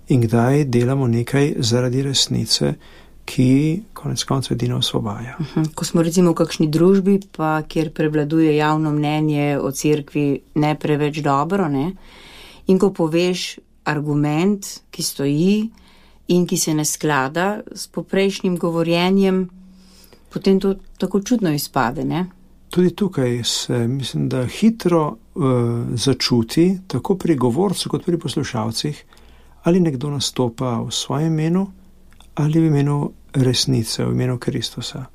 in kdaj delamo nekaj zaradi resnice, ki konec koncev edino osvobaja. Uh-huh. Ko smo recimo v kakšni družbi, pa kjer prevladuje javno mnenje o cerkvi ne preveč dobro, ne? In ko poveš argument, ki stoji in ki se ne sklada s poprejšnjim govorjenjem, potem to tako čudno izpade, ne? Tudi tukaj se, mislim, da hitro uh, začuti, tako pri govorcu kot pri poslušalcih, ali nekdo nastopa v svojem imenu, ali v imenu resnice, v imenu Kristusa.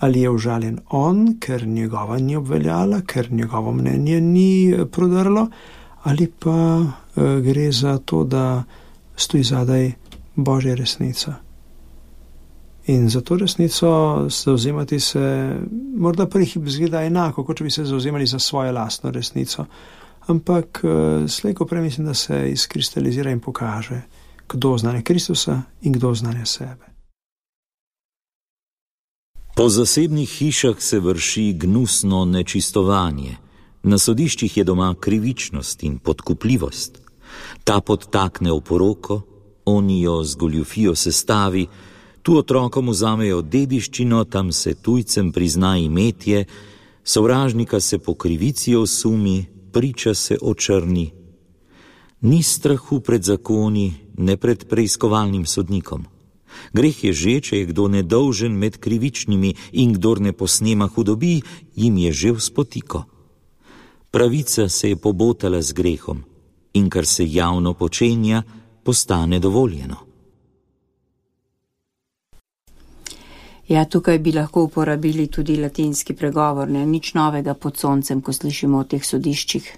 Ali je užaljen on, ker njegova ni obveljala, ker njegovo mnenje ni prodrlo, ali pa uh, gre za to, da stoji zadaj Božja resnica. In za to resnico zauzemati se morda prvi hip zgleda enako, kot če bi se zauzemali za svojo lastno resnico. Ampak slej ko prej mislim, da se izkristalizira in pokaže, kdo znanje Kristusa in kdo znanje sebe. Po zasebnih hišah se vrši gnusno nečistovanje. Na sodiščih je doma krivičnost in podkupljivost. Ta podtakne v poroko, oni jo z goljufijo sestavi, tu otrokom vzamejo dediščino, tam se tujcem prizna imetje, sovražnika se po krivici osumi, priča se očrni. Ni strahu pred zakoni, ne pred preiskovalnim sodnikom. Greh je že, če je kdo nedolžen med krivičnimi in kdor ne posnema hudobi, jim je že v spotiko. Pravica se je pobotala z grehom in kar se javno počenja, postane dovoljeno. Ja, tukaj bi lahko uporabili tudi latinski pregovor, ne? Nič novega pod soncem, ko slišimo o teh sodiščih.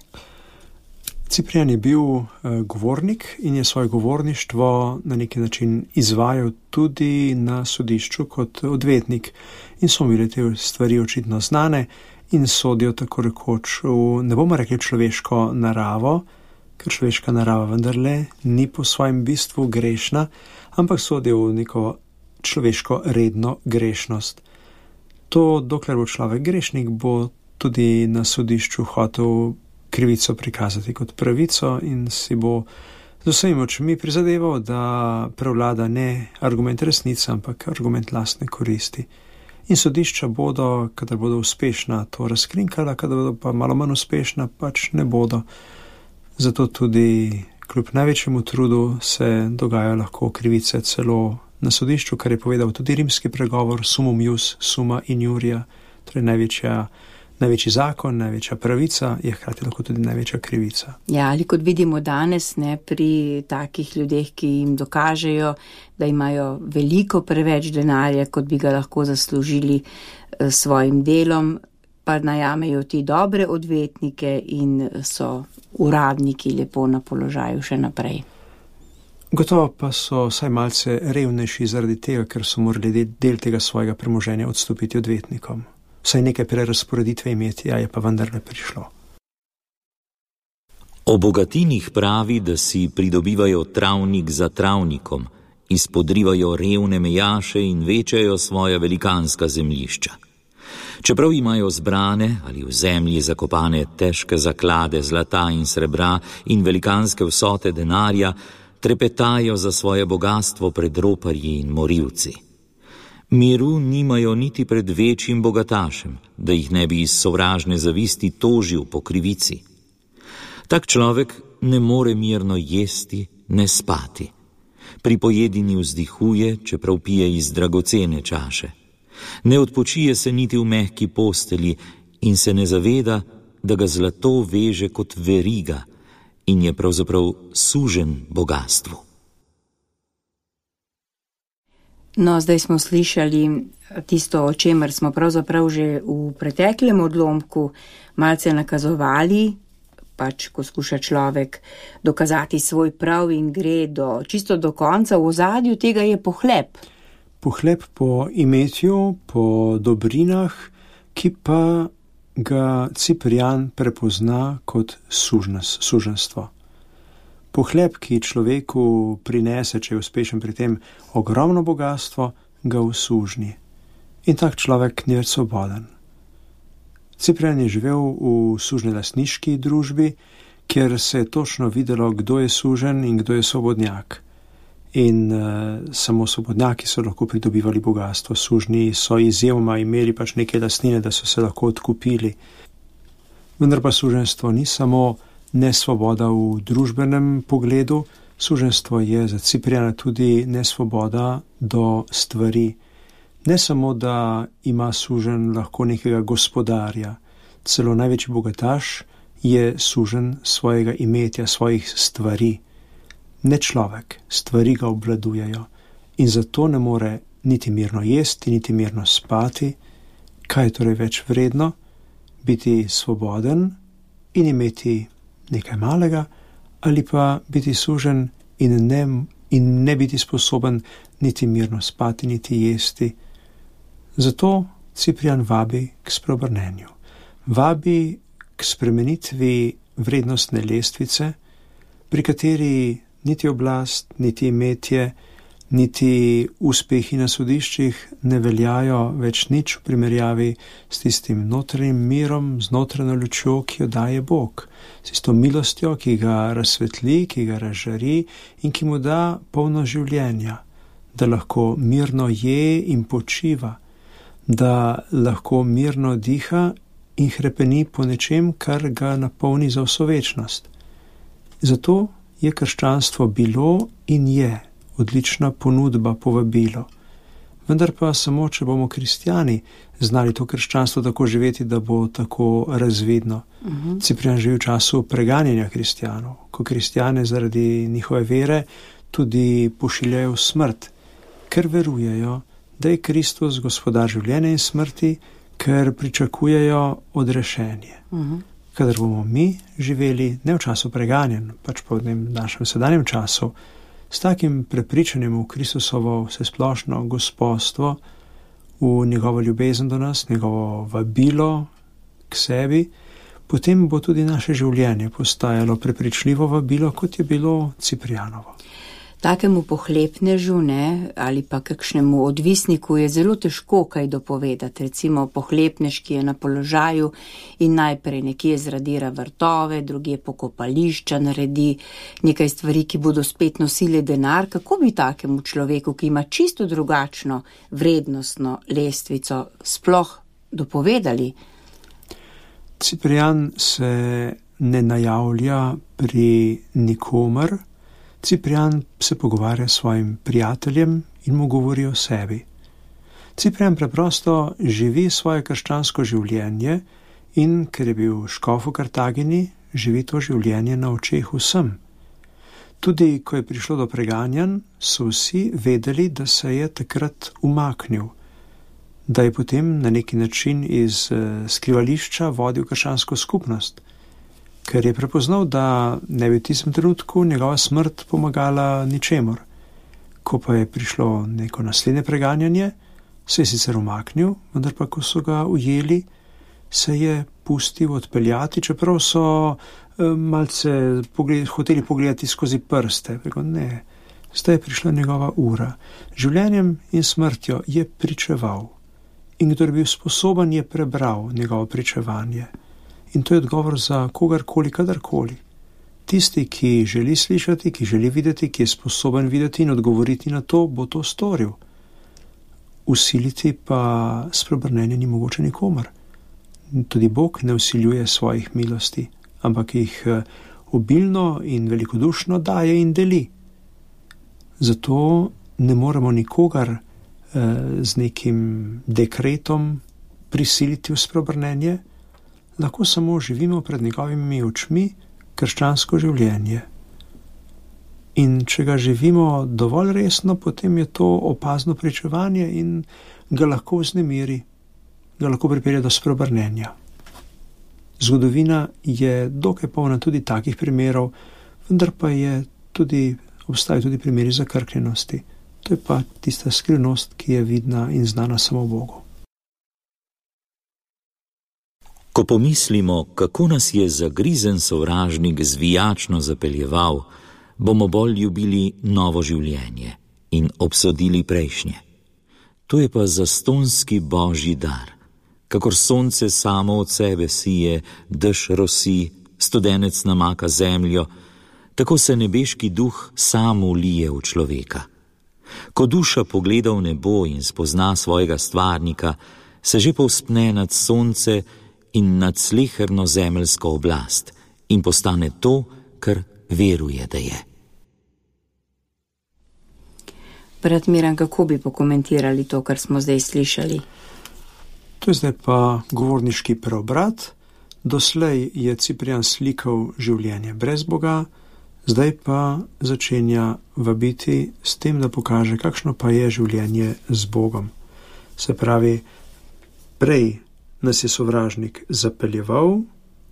Ciprian je bil uh, govornik in je svoje govorništvo na neki način izvajal tudi na sodišču kot odvetnik. In so bile te stvari očitno znane in sodijo tako rekoč v, ne bomo rekli človeško naravo, ker človeška narava vendarle ni po svojem bistvu grešna, ampak sodijo v neko človeško redno grešnost. To, dokler bo človek grešnik, bo tudi na sodišču hotel krivico prikazati kot pravico in si bo z vsemi močmi prizadeval, da prevlada ne argument resnice, ampak argument lastne koristi. In sodišča bodo, kadar bodo uspešna, to razkrinkala, kadar bodo pa malo manj uspešna, pač ne bodo. Zato tudi kljub največjemu trudu se dogajajo lahko krivice celo na sodišču, kar je povedal tudi rimski pregovor sumum ius, summa injuria, torej največja, največji zakon, največja pravica je hkrati lahko tudi največja krivica. Ja, ali kot vidimo danes, ne, pri takih ljudeh, ki jim dokažejo, da imajo veliko preveč denarja, kot bi ga lahko zaslužili s svojim delom, pa najamejo ti dobre odvetnike in so uradniki lepo na položaju še naprej. Gotovo pa so vsaj malce revnejši zaradi tega, ker so morali del tega svojega premoženja odstopiti odvetnikom. Vsaj nekaj prerazporeditve imeti, a je pa vendarle prišlo. O bogatinih pravi, da si pridobivajo travnik za travnikom, izpodrivajo revne mejaše in večajo svoja velikanska zemljišča. Čeprav imajo zbrane ali v zemlji zakopane težke zaklade zlata in srebra in velikanske vsote denarja, trepetajo za svoje bogatstvo pred roparji in morilci. Miru nimajo niti pred večjim bogatašem, da jih ne bi iz sovražne zavisti tožil po krivici. Tak človek ne more mirno jesti, ne spati. Pri pojedini vzdihuje, čeprav pije iz dragocene čaše. Ne odpočije se niti v mehki postelji in se ne zaveda, da ga zlato veže kot veriga in je pravzaprav sužen bogatstvu. No, zdaj smo slišali tisto, o čemer smo pravzaprav že v preteklem odlomku malce nakazovali, pač ko skuša človek dokazati svoj prav in gre do, čisto do konca, v ozadju tega je pohlep. Pohlep po imetju, po dobrinah, ki pa ga Ciprian prepozna kot sužnost, suženstvo. Pohlep, ki človeku prinese, če je uspešen pri tem, ogromno bogatstvo, ga usužni. In tak človek ni več svoboden. Ciprian je živel v sužnelastniški družbi, kjer se je točno videlo, kdo je sužen in kdo je svobodnjak. In uh, samo svobodnjaki so lahko pridobivali bogatstvo, sužnji so izjemoma imeli pač neke lastnine, da so se lahko odkupili. Vendar pa suženstvo ni samo nesvoboda v družbenem pogledu, suženstvo je za Cipriana tudi nesvoboda do stvari. Ne samo, da ima sužen lahko nekega gospodarja, celo največji bogataš je sužen svojega imetja, svojih stvari. Ne človek, stvari ga obvladujejo in zato ne more niti mirno jesti, niti mirno spati. Kaj je torej več vredno? Biti svoboden in imeti nekaj malega ali pa biti sužen in ne, in ne biti sposoben niti mirno spati, niti jesti. Zato Ciprian vabi k spreobrnenju. Vabi k spremenitvi vrednostne lestvice, pri kateri niti oblast, niti imetje, niti uspehi na sodiščih ne veljajo več nič v primerjavi s tistim notranjim mirom, z notranjo lučjo, ki jo daje Bog, s tisto milostjo, ki ga razsvetli, ki ga razžari in ki mu da polno življenja, da lahko mirno je in počiva, da lahko mirno diha in hrepeni po nečem, kar ga napolni za vso večnost. Zato je krščanstvo bilo in je odlična ponudba, povabilo. Vendar pa samo, če bomo kristjani znali to krščanstvo tako živeti, da bo tako razvidno. Uh-huh. Ciprian živi v času preganjanja kristjanov, ko kristjane zaradi njihove vere tudi pošiljajo v smrt, ker verujejo, da je Kristus gospodar življenja in smrti, ker pričakujejo odrešenje. Uh-huh. kadar bomo mi živeli ne v času preganjen, pač pa v našem sedanjem času, s takim prepričanjem v Kristusovo vsesplošno gospodstvo, v njegovo ljubezen do nas, njegovo vabilo k sebi, potem bo tudi naše življenje postajalo prepričljivo vabilo, kot je bilo Ciprianovo. Takemu pohlepnežu, ne, ali pa kakšnemu odvisniku je zelo težko kaj dopovedati. Recimo pohlepnež, ki je na položaju in najprej nekje zradira vrtove, drugje pokopališča naredi, nekaj stvari, ki bodo spet nosili denar. Kako bi takemu človeku, ki ima čisto drugačno vrednostno lestvico, sploh dopovedali? Ciprian se ne najavlja pri nikomer. Ciprian se pogovarja s svojim prijateljem in mu govori o sebi. Ciprian preprosto živi svoje krščansko življenje in, ker je bil škof v Kartagini, živi to življenje na očeh vsem. Tudi, ko je prišlo do preganjanj, so vsi vedeli, da se je takrat umaknil, da je potem na neki način iz skrivališča vodil krščansko skupnost, ker je prepoznal, da ne bi v tistem trenutku njegova smrt pomagala ničemur. Ko pa je prišlo neko naslednje preganjanje, se je sicer umaknil, vendar pa, ko so ga ujeli, se je pustil odpeljati, čeprav so malce pogled, hoteli pogledati skozi prste. Preko, ne, zdaj je prišla njegova ura. Življenjem in smrtjo je pričeval. In kdor je bil sposoben, je prebral njegovo pričevanje. In to je odgovor za kogarkoli, kadarkoli. Tisti, ki želi slišati, ki želi videti, ki je sposoben videti in odgovoriti na to, bo to storil. Usiliti pa spreobrnenje ni mogoče nikomor. Tudi Bog ne usiljuje svojih milosti, ampak jih obilno in velikodušno daje in deli. Zato ne moremo nikogar eh, z nekim dekretom prisiliti v spreobrnenje, lahko samo živimo pred njegovimi očmi krščansko življenje. In če ga živimo dovolj resno, potem je to opazno pričevanje in ga lahko vznemiri, ga lahko pripelje do spreobrnenja. Zgodovina je dokaj polna tudi takih primerov, vendar pa je tudi, obstajajo tudi primeri zakrkljenosti. To je pa tista skrivnost, ki je vidna in znana samo Bogu. Ko pomislimo, kako nas je zagrizen sovražnik zvijačno zapeljeval, bomo bolj ljubili novo življenje in obsodili prejšnje. To je pa zastonski božji dar. Kakor sonce samo od sebe sije, dež rosi, studenec namaka zemljo, tako se nebeški duh sam ulije v človeka. Ko duša pogleda v nebo in spozna svojega stvarnika, se že povzpne nad sonce in nad sleherno zemeljsko oblast in postane to, kar veruje, da je. Brat Miran, kako bi pokomentirali to, kar smo zdaj slišali? To je zdaj pa govorniški preobrat. Doslej je Ciprian slikal življenje brez Boga, zdaj pa začenja vabiti s tem, da pokaže, kakšno pa je življenje z Bogom. Se pravi, prej nas je sovražnik zapeljeval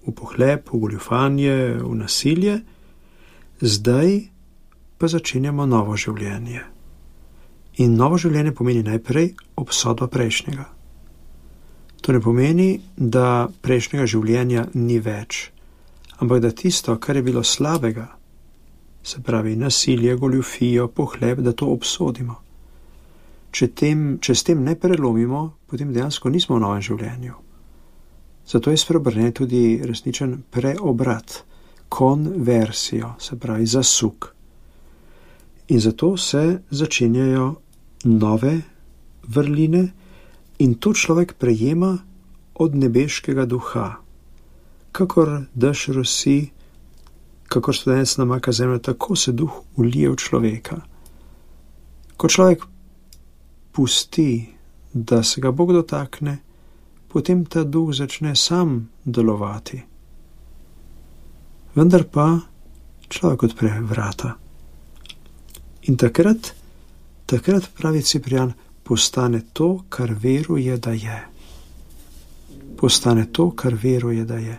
v pohlep, v goljufanje, v nasilje, zdaj pa začenjamo novo življenje. In novo življenje pomeni najprej obsodba prejšnjega. To ne pomeni, da prejšnjega življenja ni več, ampak da tisto, kar je bilo slabega, se pravi nasilje, goljufijo, pohlep, da to obsodimo. Če, tem, če s tem ne prelomimo, potem dejansko nismo v novem življenju. Zato je spreobrnjen tudi resničen preobrat, konversijo, se pravi zasuk. In zato se začenjajo nove vrline in to človek prejema od nebeškega duha. Kakor dež rosi, kakor studenec namaka zemljo, tako se duh ulije v človeka. Ko človek pusti, da se ga Bog dotakne, potem ta duh začne sam delovati. Vendar pa človek odpre vrata. In takrat, takrat pravi Ciprian, postane to, kar veruje, da je. Postane to, kar veruje, da je.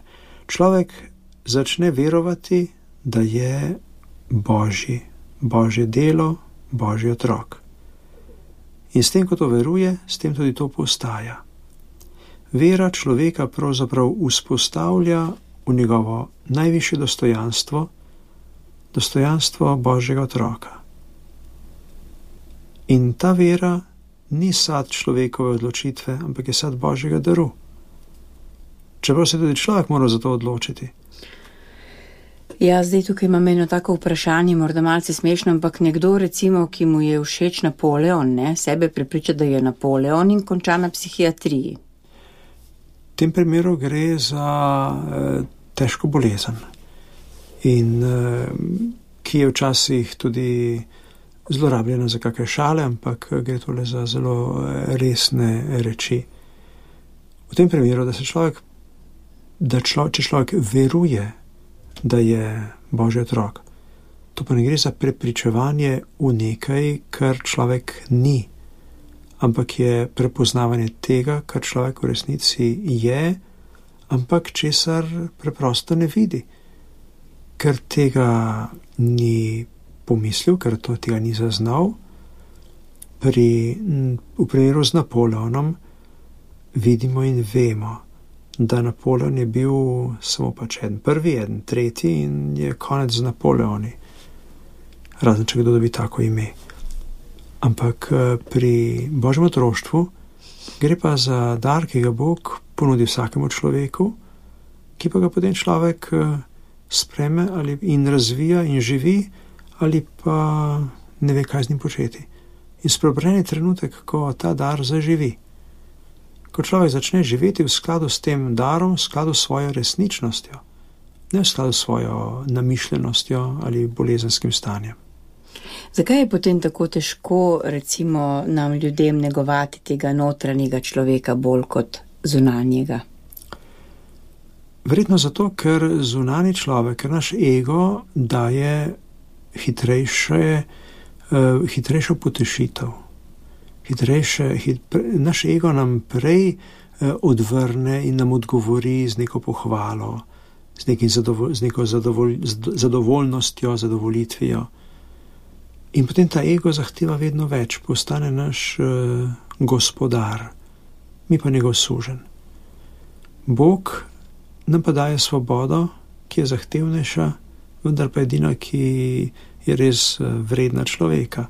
človek začne verovati, da je Božji, Božje delo, Božji otrok. In s tem, ko to veruje, s tem tudi to postaja. Vera človeka pravzaprav vzpostavlja v njegovo najvišje dostojanstvo, dostojanstvo Božjega otroka. In ta vera ni sad človekove odločitve, ampak je sad Božjega daru. Čeprav se tudi človek mora za to odločiti. Ja, zdaj tukaj imam eno tako vprašanje, morda malce smešno, ampak nekdo recimo, ki mu je všeč Napoleon, ne, sebe prepriča, da je Napoleon in konča na psihiatriji. V tem primeru gre za eh, težko bolezen, in eh, ki je včasih tudi zlorabljena za kakšne šale, ampak gre tole za zelo resne reči. V tem primeru, da se človek, da člo, če človek veruje, da je Božji otrok, to pa ne gre za prepričevanje v nekaj, kar človek ni, ampak je prepoznavanje tega, kar človek v resnici je, ampak česar preprosto ne vidi, ker tega ni pomislil, ker to tega ni zaznal. Pri, v primeru z Napoleonom vidimo in vemo, da Napoleon je bil samo pač en prvi, en tretji in je konec z Napoleoni. Razen če kdo dobi tako ime. Ampak pri Božjem otroštvu gre pa za dar, ki ga Bog ponudi vsakemu človeku, ki pa ga potem človek spreme ali in razvija in živi, ali pa ne ve, kaj z njim početi. In spreobrnjen je trenutek, ko ta dar zaživi. Ko človek začne živeti v skladu s tem darom, v skladu s svojo resničnostjo, ne v skladu s svojo namišljenostjo ali bolezenskim stanjem. Zakaj je potem tako težko, recimo, nam ljudem negovati tega notranjega človeka bolj kot zunanjega? Verjetno zato, ker zunanji človek, ker naš ego daje hitrejše, uh, hitrejšo potešitev. Hitrejše, hit, pre, naš ego nam prej uh, odvrne in nam odgovori z neko pohvalo, z, zadovolj, z neko zadovolj, zadovoljnostjo, zadovolitvijo. In potem ta ego zahteva vedno več, postane naš uh, gospodar, mi pa njegov suženj. Bog nam pa daje svobodo, ki je zahtevnejša, vendar pa edina, ki je res vredna človeka.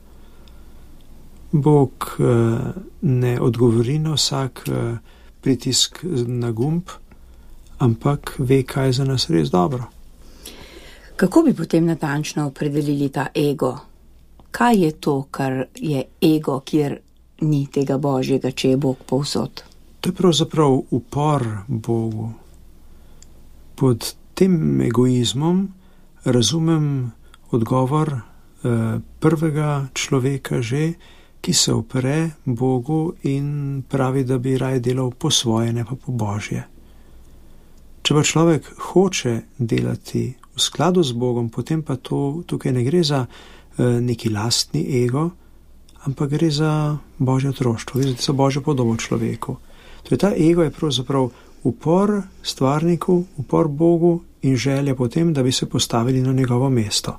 Bog ne odgovori na vsak pritisk na gumb, ampak ve, kaj je za nas res dobro. Kako bi potem natančno opredelili ta ego? Kaj je to, kar je ego, kjer ni tega Božjega, če je Bog povsod? To je pravzaprav upor Bogu. Pod tem egoizmom razumem odgovor eh, prvega človeka že, ki se upre Bogu in pravi, da bi raje delal po svoje, ne pa po Božje. Če pa človek hoče delati v skladu z Bogom, potem pa to, tukaj ne gre za eh, neki lastni ego, ampak gre za Božje otroštvo, gre za Božjo podobo človeku. Torej, ta ego je pravzaprav upor stvarniku, upor Bogu in želja potem, da bi se postavili na njegovo mesto.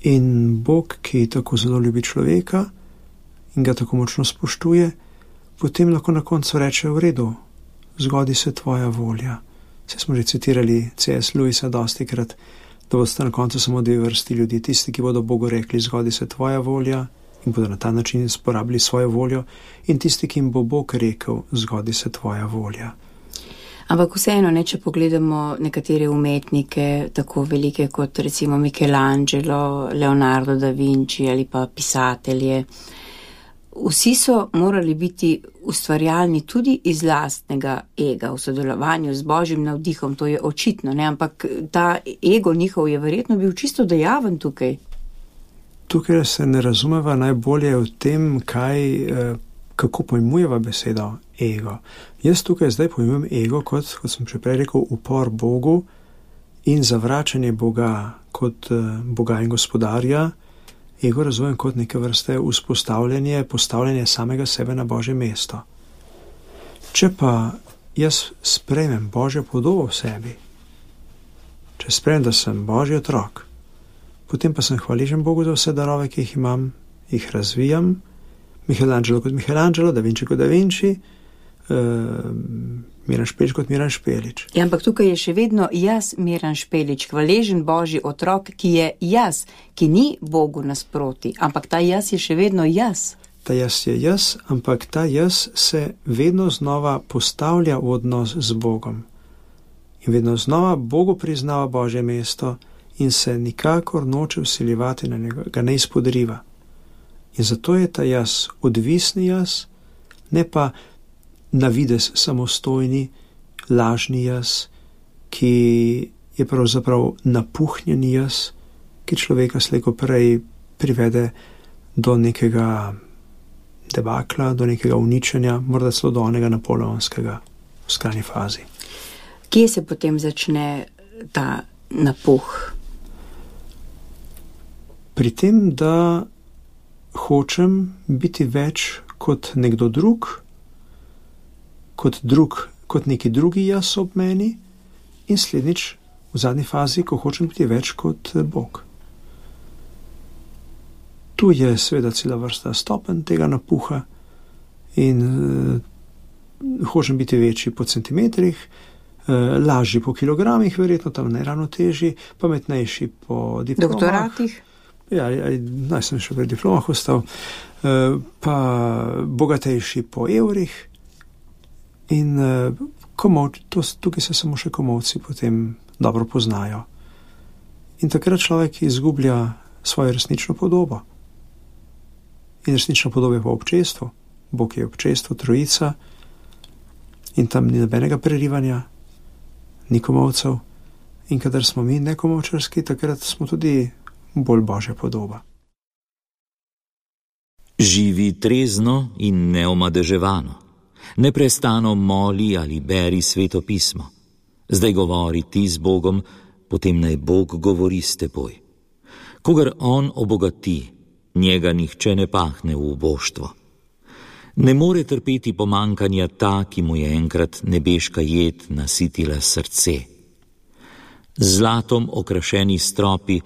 In Bog, ki tako zelo ljubi človeka in ga tako močno spoštuje, potem lahko na koncu reče: v redu, zgodi se tvoja volja. Saj smo že citirali C S Lewisa dostikrat, da boste na koncu samo dve vrsti ljudi, tisti, ki bodo Bogu rekli: zgodi se tvoja volja, in bodo na ta način sporabili svojo voljo, in tisti, ki jim bo Bog rekel: zgodi se tvoja volja. Ampak vseeno, ne, če pogledamo nekatere umetnike, tako velike kot recimo Michelangelo, Leonardo da Vinci ali pa pisatelje, vsi so morali biti ustvarjalni tudi iz lastnega ega, v sodelovanju z Božjim navdihom, to je očitno, ne, ampak ta ego njihov je verjetno bil čisto dejaven tukaj. Tukaj se ne razumeva najbolje v tem, kaj, kako pojmujeva besedo ego. Jaz tukaj zdaj pojmujem ego kot, kot sem že prej rekel, upor Bogu in zavračanje Boga kot Boga in gospodarja. Ego razumem kot neke vrste vzpostavljanje, postavljanje samega sebe na Božje mesto. Če pa jaz sprejmem Božjo podobo v sebi, če sprejmem, da sem Božji otrok, potem pa sem hvaležen Bogu za vse darove, ki jih imam, jih razvijam, Michelangelo kot Michelangelo, Da Vinci kot Da Vinci, uh, Miran Špelič kot Miran Špelič. Ja, ampak tukaj je še vedno jaz, Miran Špelič, hvaležen Božji otrok, ki je jaz, ki ni Bogu nasproti, ampak ta jaz je še vedno jaz. Ta jaz je jaz, ampak ta jaz se vedno znova postavlja v odnos z Bogom. In vedno znova Bogu priznava Božje mesto in se nikakor noče vsiljevati na njega, ga ne izpodriva. In zato je ta jaz odvisni jaz, ne pa na videz samostojni, lažni jaz, ki je pravzaprav napuhnjeni jaz, ki človeka slejko prej privede do nekega debakla, do nekega uničenja, morda celo do onega napoleonskega v skrajni fazi. Kje se potem začne ta napuh? Pri tem, da hočem biti več kot nekdo drug, kot drug, kot neki drugi jaz ob meni in slednjič v zadnji fazi, ko hočem biti več kot Bog. Tu je seveda cela vrsta stopenj tega napuha in uh, hočem biti večji po centimetrih, uh, lažji po kilogramih, verjetno tam ne ravno težji, pametnejši po diplomah. Doktoratih? Ja, naj sem še pri diplomah ostal, uh, pa bogatejši po evrih in uh, komov, to, tukaj se samo še komovci potem dobro poznajo. In takrat človek izgublja svojo resnično podobo. In resnično podobe pa občestvo. Bog je občestvo, trojica in tam ni nobenega prerivanja, ni komovcev. In kadar smo mi nekomovčarski, takrat smo tudi bolj Božja podoba. Živi trezno in neomadeževano. Neprestano moli ali beri Sveto pismo. Zdaj govori ti z Bogom, potem naj Bog govori s teboj. Kogar on obogati, njega nihče ne pahne v uboštvo. Ne more trpeti pomankanja ta, ki mu je enkrat nebeška jed nasitila srce. Z zlatom okrašeni stropi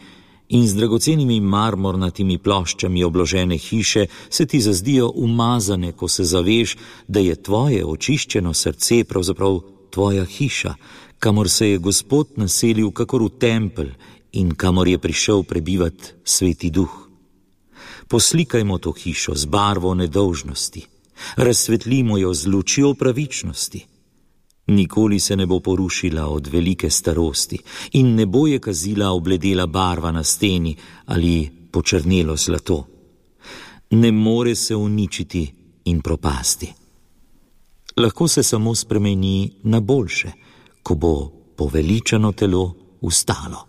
in z dragocenimi marmornatimi ploščami obložene hiše se ti zazdijo umazane, ko se zaveš, da je tvoje očiščeno srce pravzaprav tvoja hiša, kamor se je Gospod naselil kakor v tempelj in kamor je prišel prebivat Sveti Duh. Poslikajmo to hišo z barvo nedolžnosti, razsvetlimo jo z lučjo pravičnosti. Nikoli se ne bo porušila od velike starosti in ne bo je kazila obledela barva na steni ali počrnelo zlato. Ne more se uničiti in propasti. Lahko se samo spremeni na boljše, ko bo poveličano telo ustalo.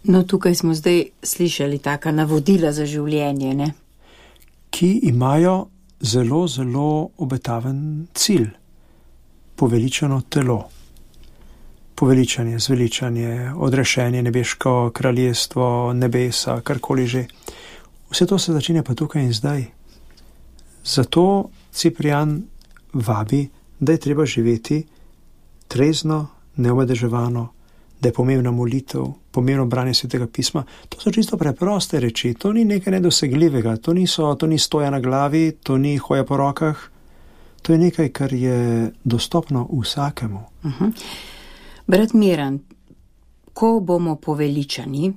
No, tukaj smo zdaj slišali taka navodila za življenje, ne? Ki imajo zelo, zelo obetaven cilj. Poveličano telo. Poveličanje, zveličanje, odrešenje, nebeško kraljestvo, nebesa, karkoli že. Vse to se začne pa tukaj in zdaj. Zato Ciprian vabi, da je treba živeti trezno, neomadeževano, da je pomembna molitev, pomembno branje Svetega pisma. To so čisto preproste reči, to ni nekaj nedosegljivega, to, niso, to ni stoja na glavi, to ni hoja po rokah, to je nekaj, kar je dostopno vsakemu. Uh-huh. Brat Miran, ko bomo poveličani,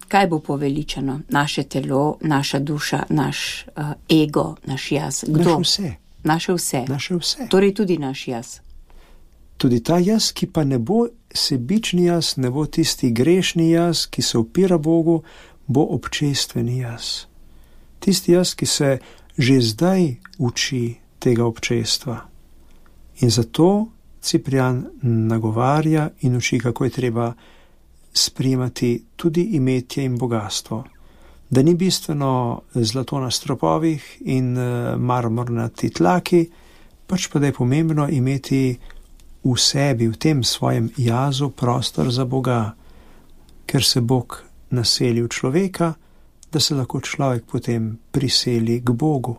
kaj bo poveličano? Naše telo, naša duša, naš uh, ego, naš jaz. Kdo? Naše vse. Naše vse. Naše vse. Torej tudi naš jaz. Tudi ta jaz, ki pa ne bo sebični jaz, ne bo tisti grešni jaz, ki se upira Bogu, bo občestveni jaz. Tisti jaz, ki se že zdaj uči tega občestva. In zato Ciprian nagovarja in uči, kako je treba sprejemati tudi imetje in bogatstvo. Da ni bistveno zlato na stropovih in marmornati tlaki, pač pa da je pomembno imeti v sebi, v tem svojem jazu prostor za Boga, ker se Bog naseli v človeka, da se lahko človek potem priseli k Bogu.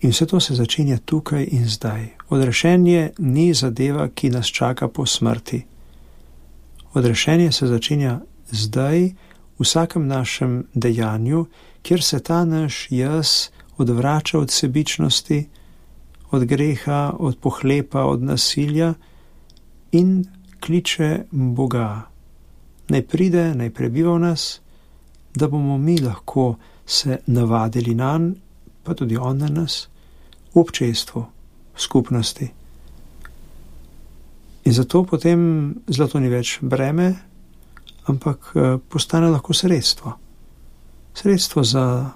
In vse to se začenja tukaj in zdaj. Odrešenje ni zadeva, ki nas čaka po smrti. Odrešenje se začenja zdaj, v vsakem našem dejanju, kjer se ta naš jaz odvrača od sebičnosti, od greha, od pohlepa, od nasilja in kliče Boga. Naj pride, naj prebiva v nas, da bomo mi lahko se navadili nanj, pa tudi on na nas, v občestvu, v skupnosti. In zato potem zlato ni več breme, ampak postane lahko sredstvo. Sredstvo za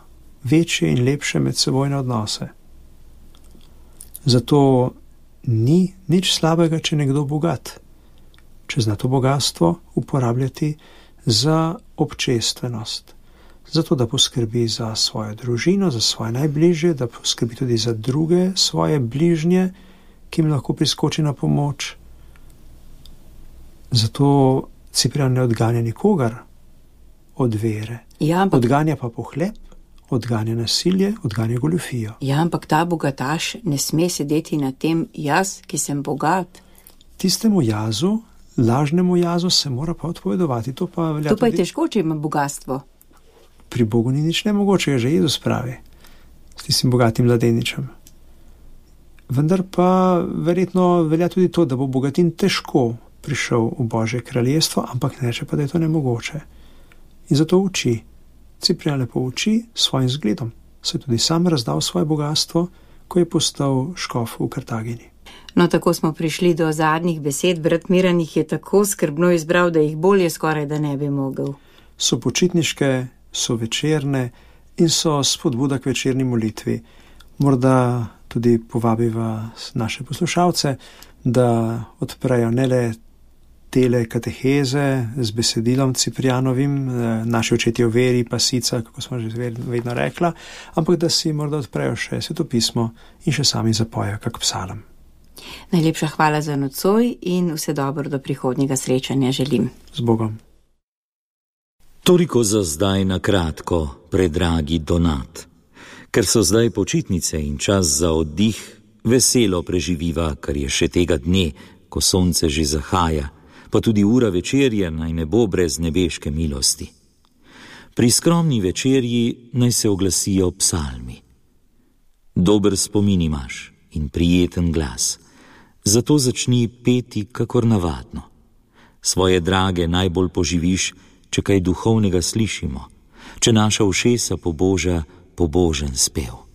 večje in lepše medsebojne odnose. Zato ni nič slabega, če nekdo bogat, če zna to bogatstvo uporabljati za občestvenost. Zato, da poskrbi za svojo družino, za svoje najbližje, da poskrbi tudi za druge svoje bližnje, ki jim lahko priskoči na pomoč. Zato Ciprian ne odganja nikogar od vere. Ja, ampak... Odganja pa pohlep, odganja nasilje, odganja goljufijo. Ja, ampak ta bogataš ne sme sedeti na tem jaz, ki sem bogat. Tistemu jazu, lažnemu jazu se mora pa odpovedovati. To pa, velja to pa je tudi... težko, če ima bogatstvo. Pri Bogu ni nič nemogočega, že Jezus pravi, s tistim bogatim mladeničem. Vendar pa verjetno velja tudi to, da bo bogatin težko prišel v Božje kraljestvo, ampak ne reče pa, da je to nemogoče. In zato uči. Ciprian lepo uči svojim zgledom. Se je tudi sam razdal svoje bogatstvo, ko je postal škof v Kartagini. No, tako smo prišli do zadnjih besed. Brat Miran jih je tako skrbno izbral, da jih bolje skoraj da ne bi mogel. So počitniške, so večerne in so spodbuda k večerni molitvi. Morda tudi povabiva naše poslušalce, da odprejo ne le tele kateheze z besedilom Ciprianovim, naši očetje v veri, pasica, kako smo že vedno rekla, ampak da si morda odprejo še svetopismo in še sami zapojo kak psalm. Najlepša hvala za nocoj in vse dobro do prihodnjega srečanja želim. Z Bogom. Toliko za zdaj na kratko, predragi Donat. Ker so zdaj počitnice in čas za oddih, veselo preživiva, kar je še tega dne, ko sonce že zahaja, pa tudi ura večerja naj ne bo brez nebeške milosti. Pri skromni večerji naj se oglasijo psalmi. Dober spomin imaš in prijeten glas, zato začni peti kakor navadno. Svoje drage najbolj poživiš, če kaj duhovnega slišimo, če naša ušesa poboža pobožen spev.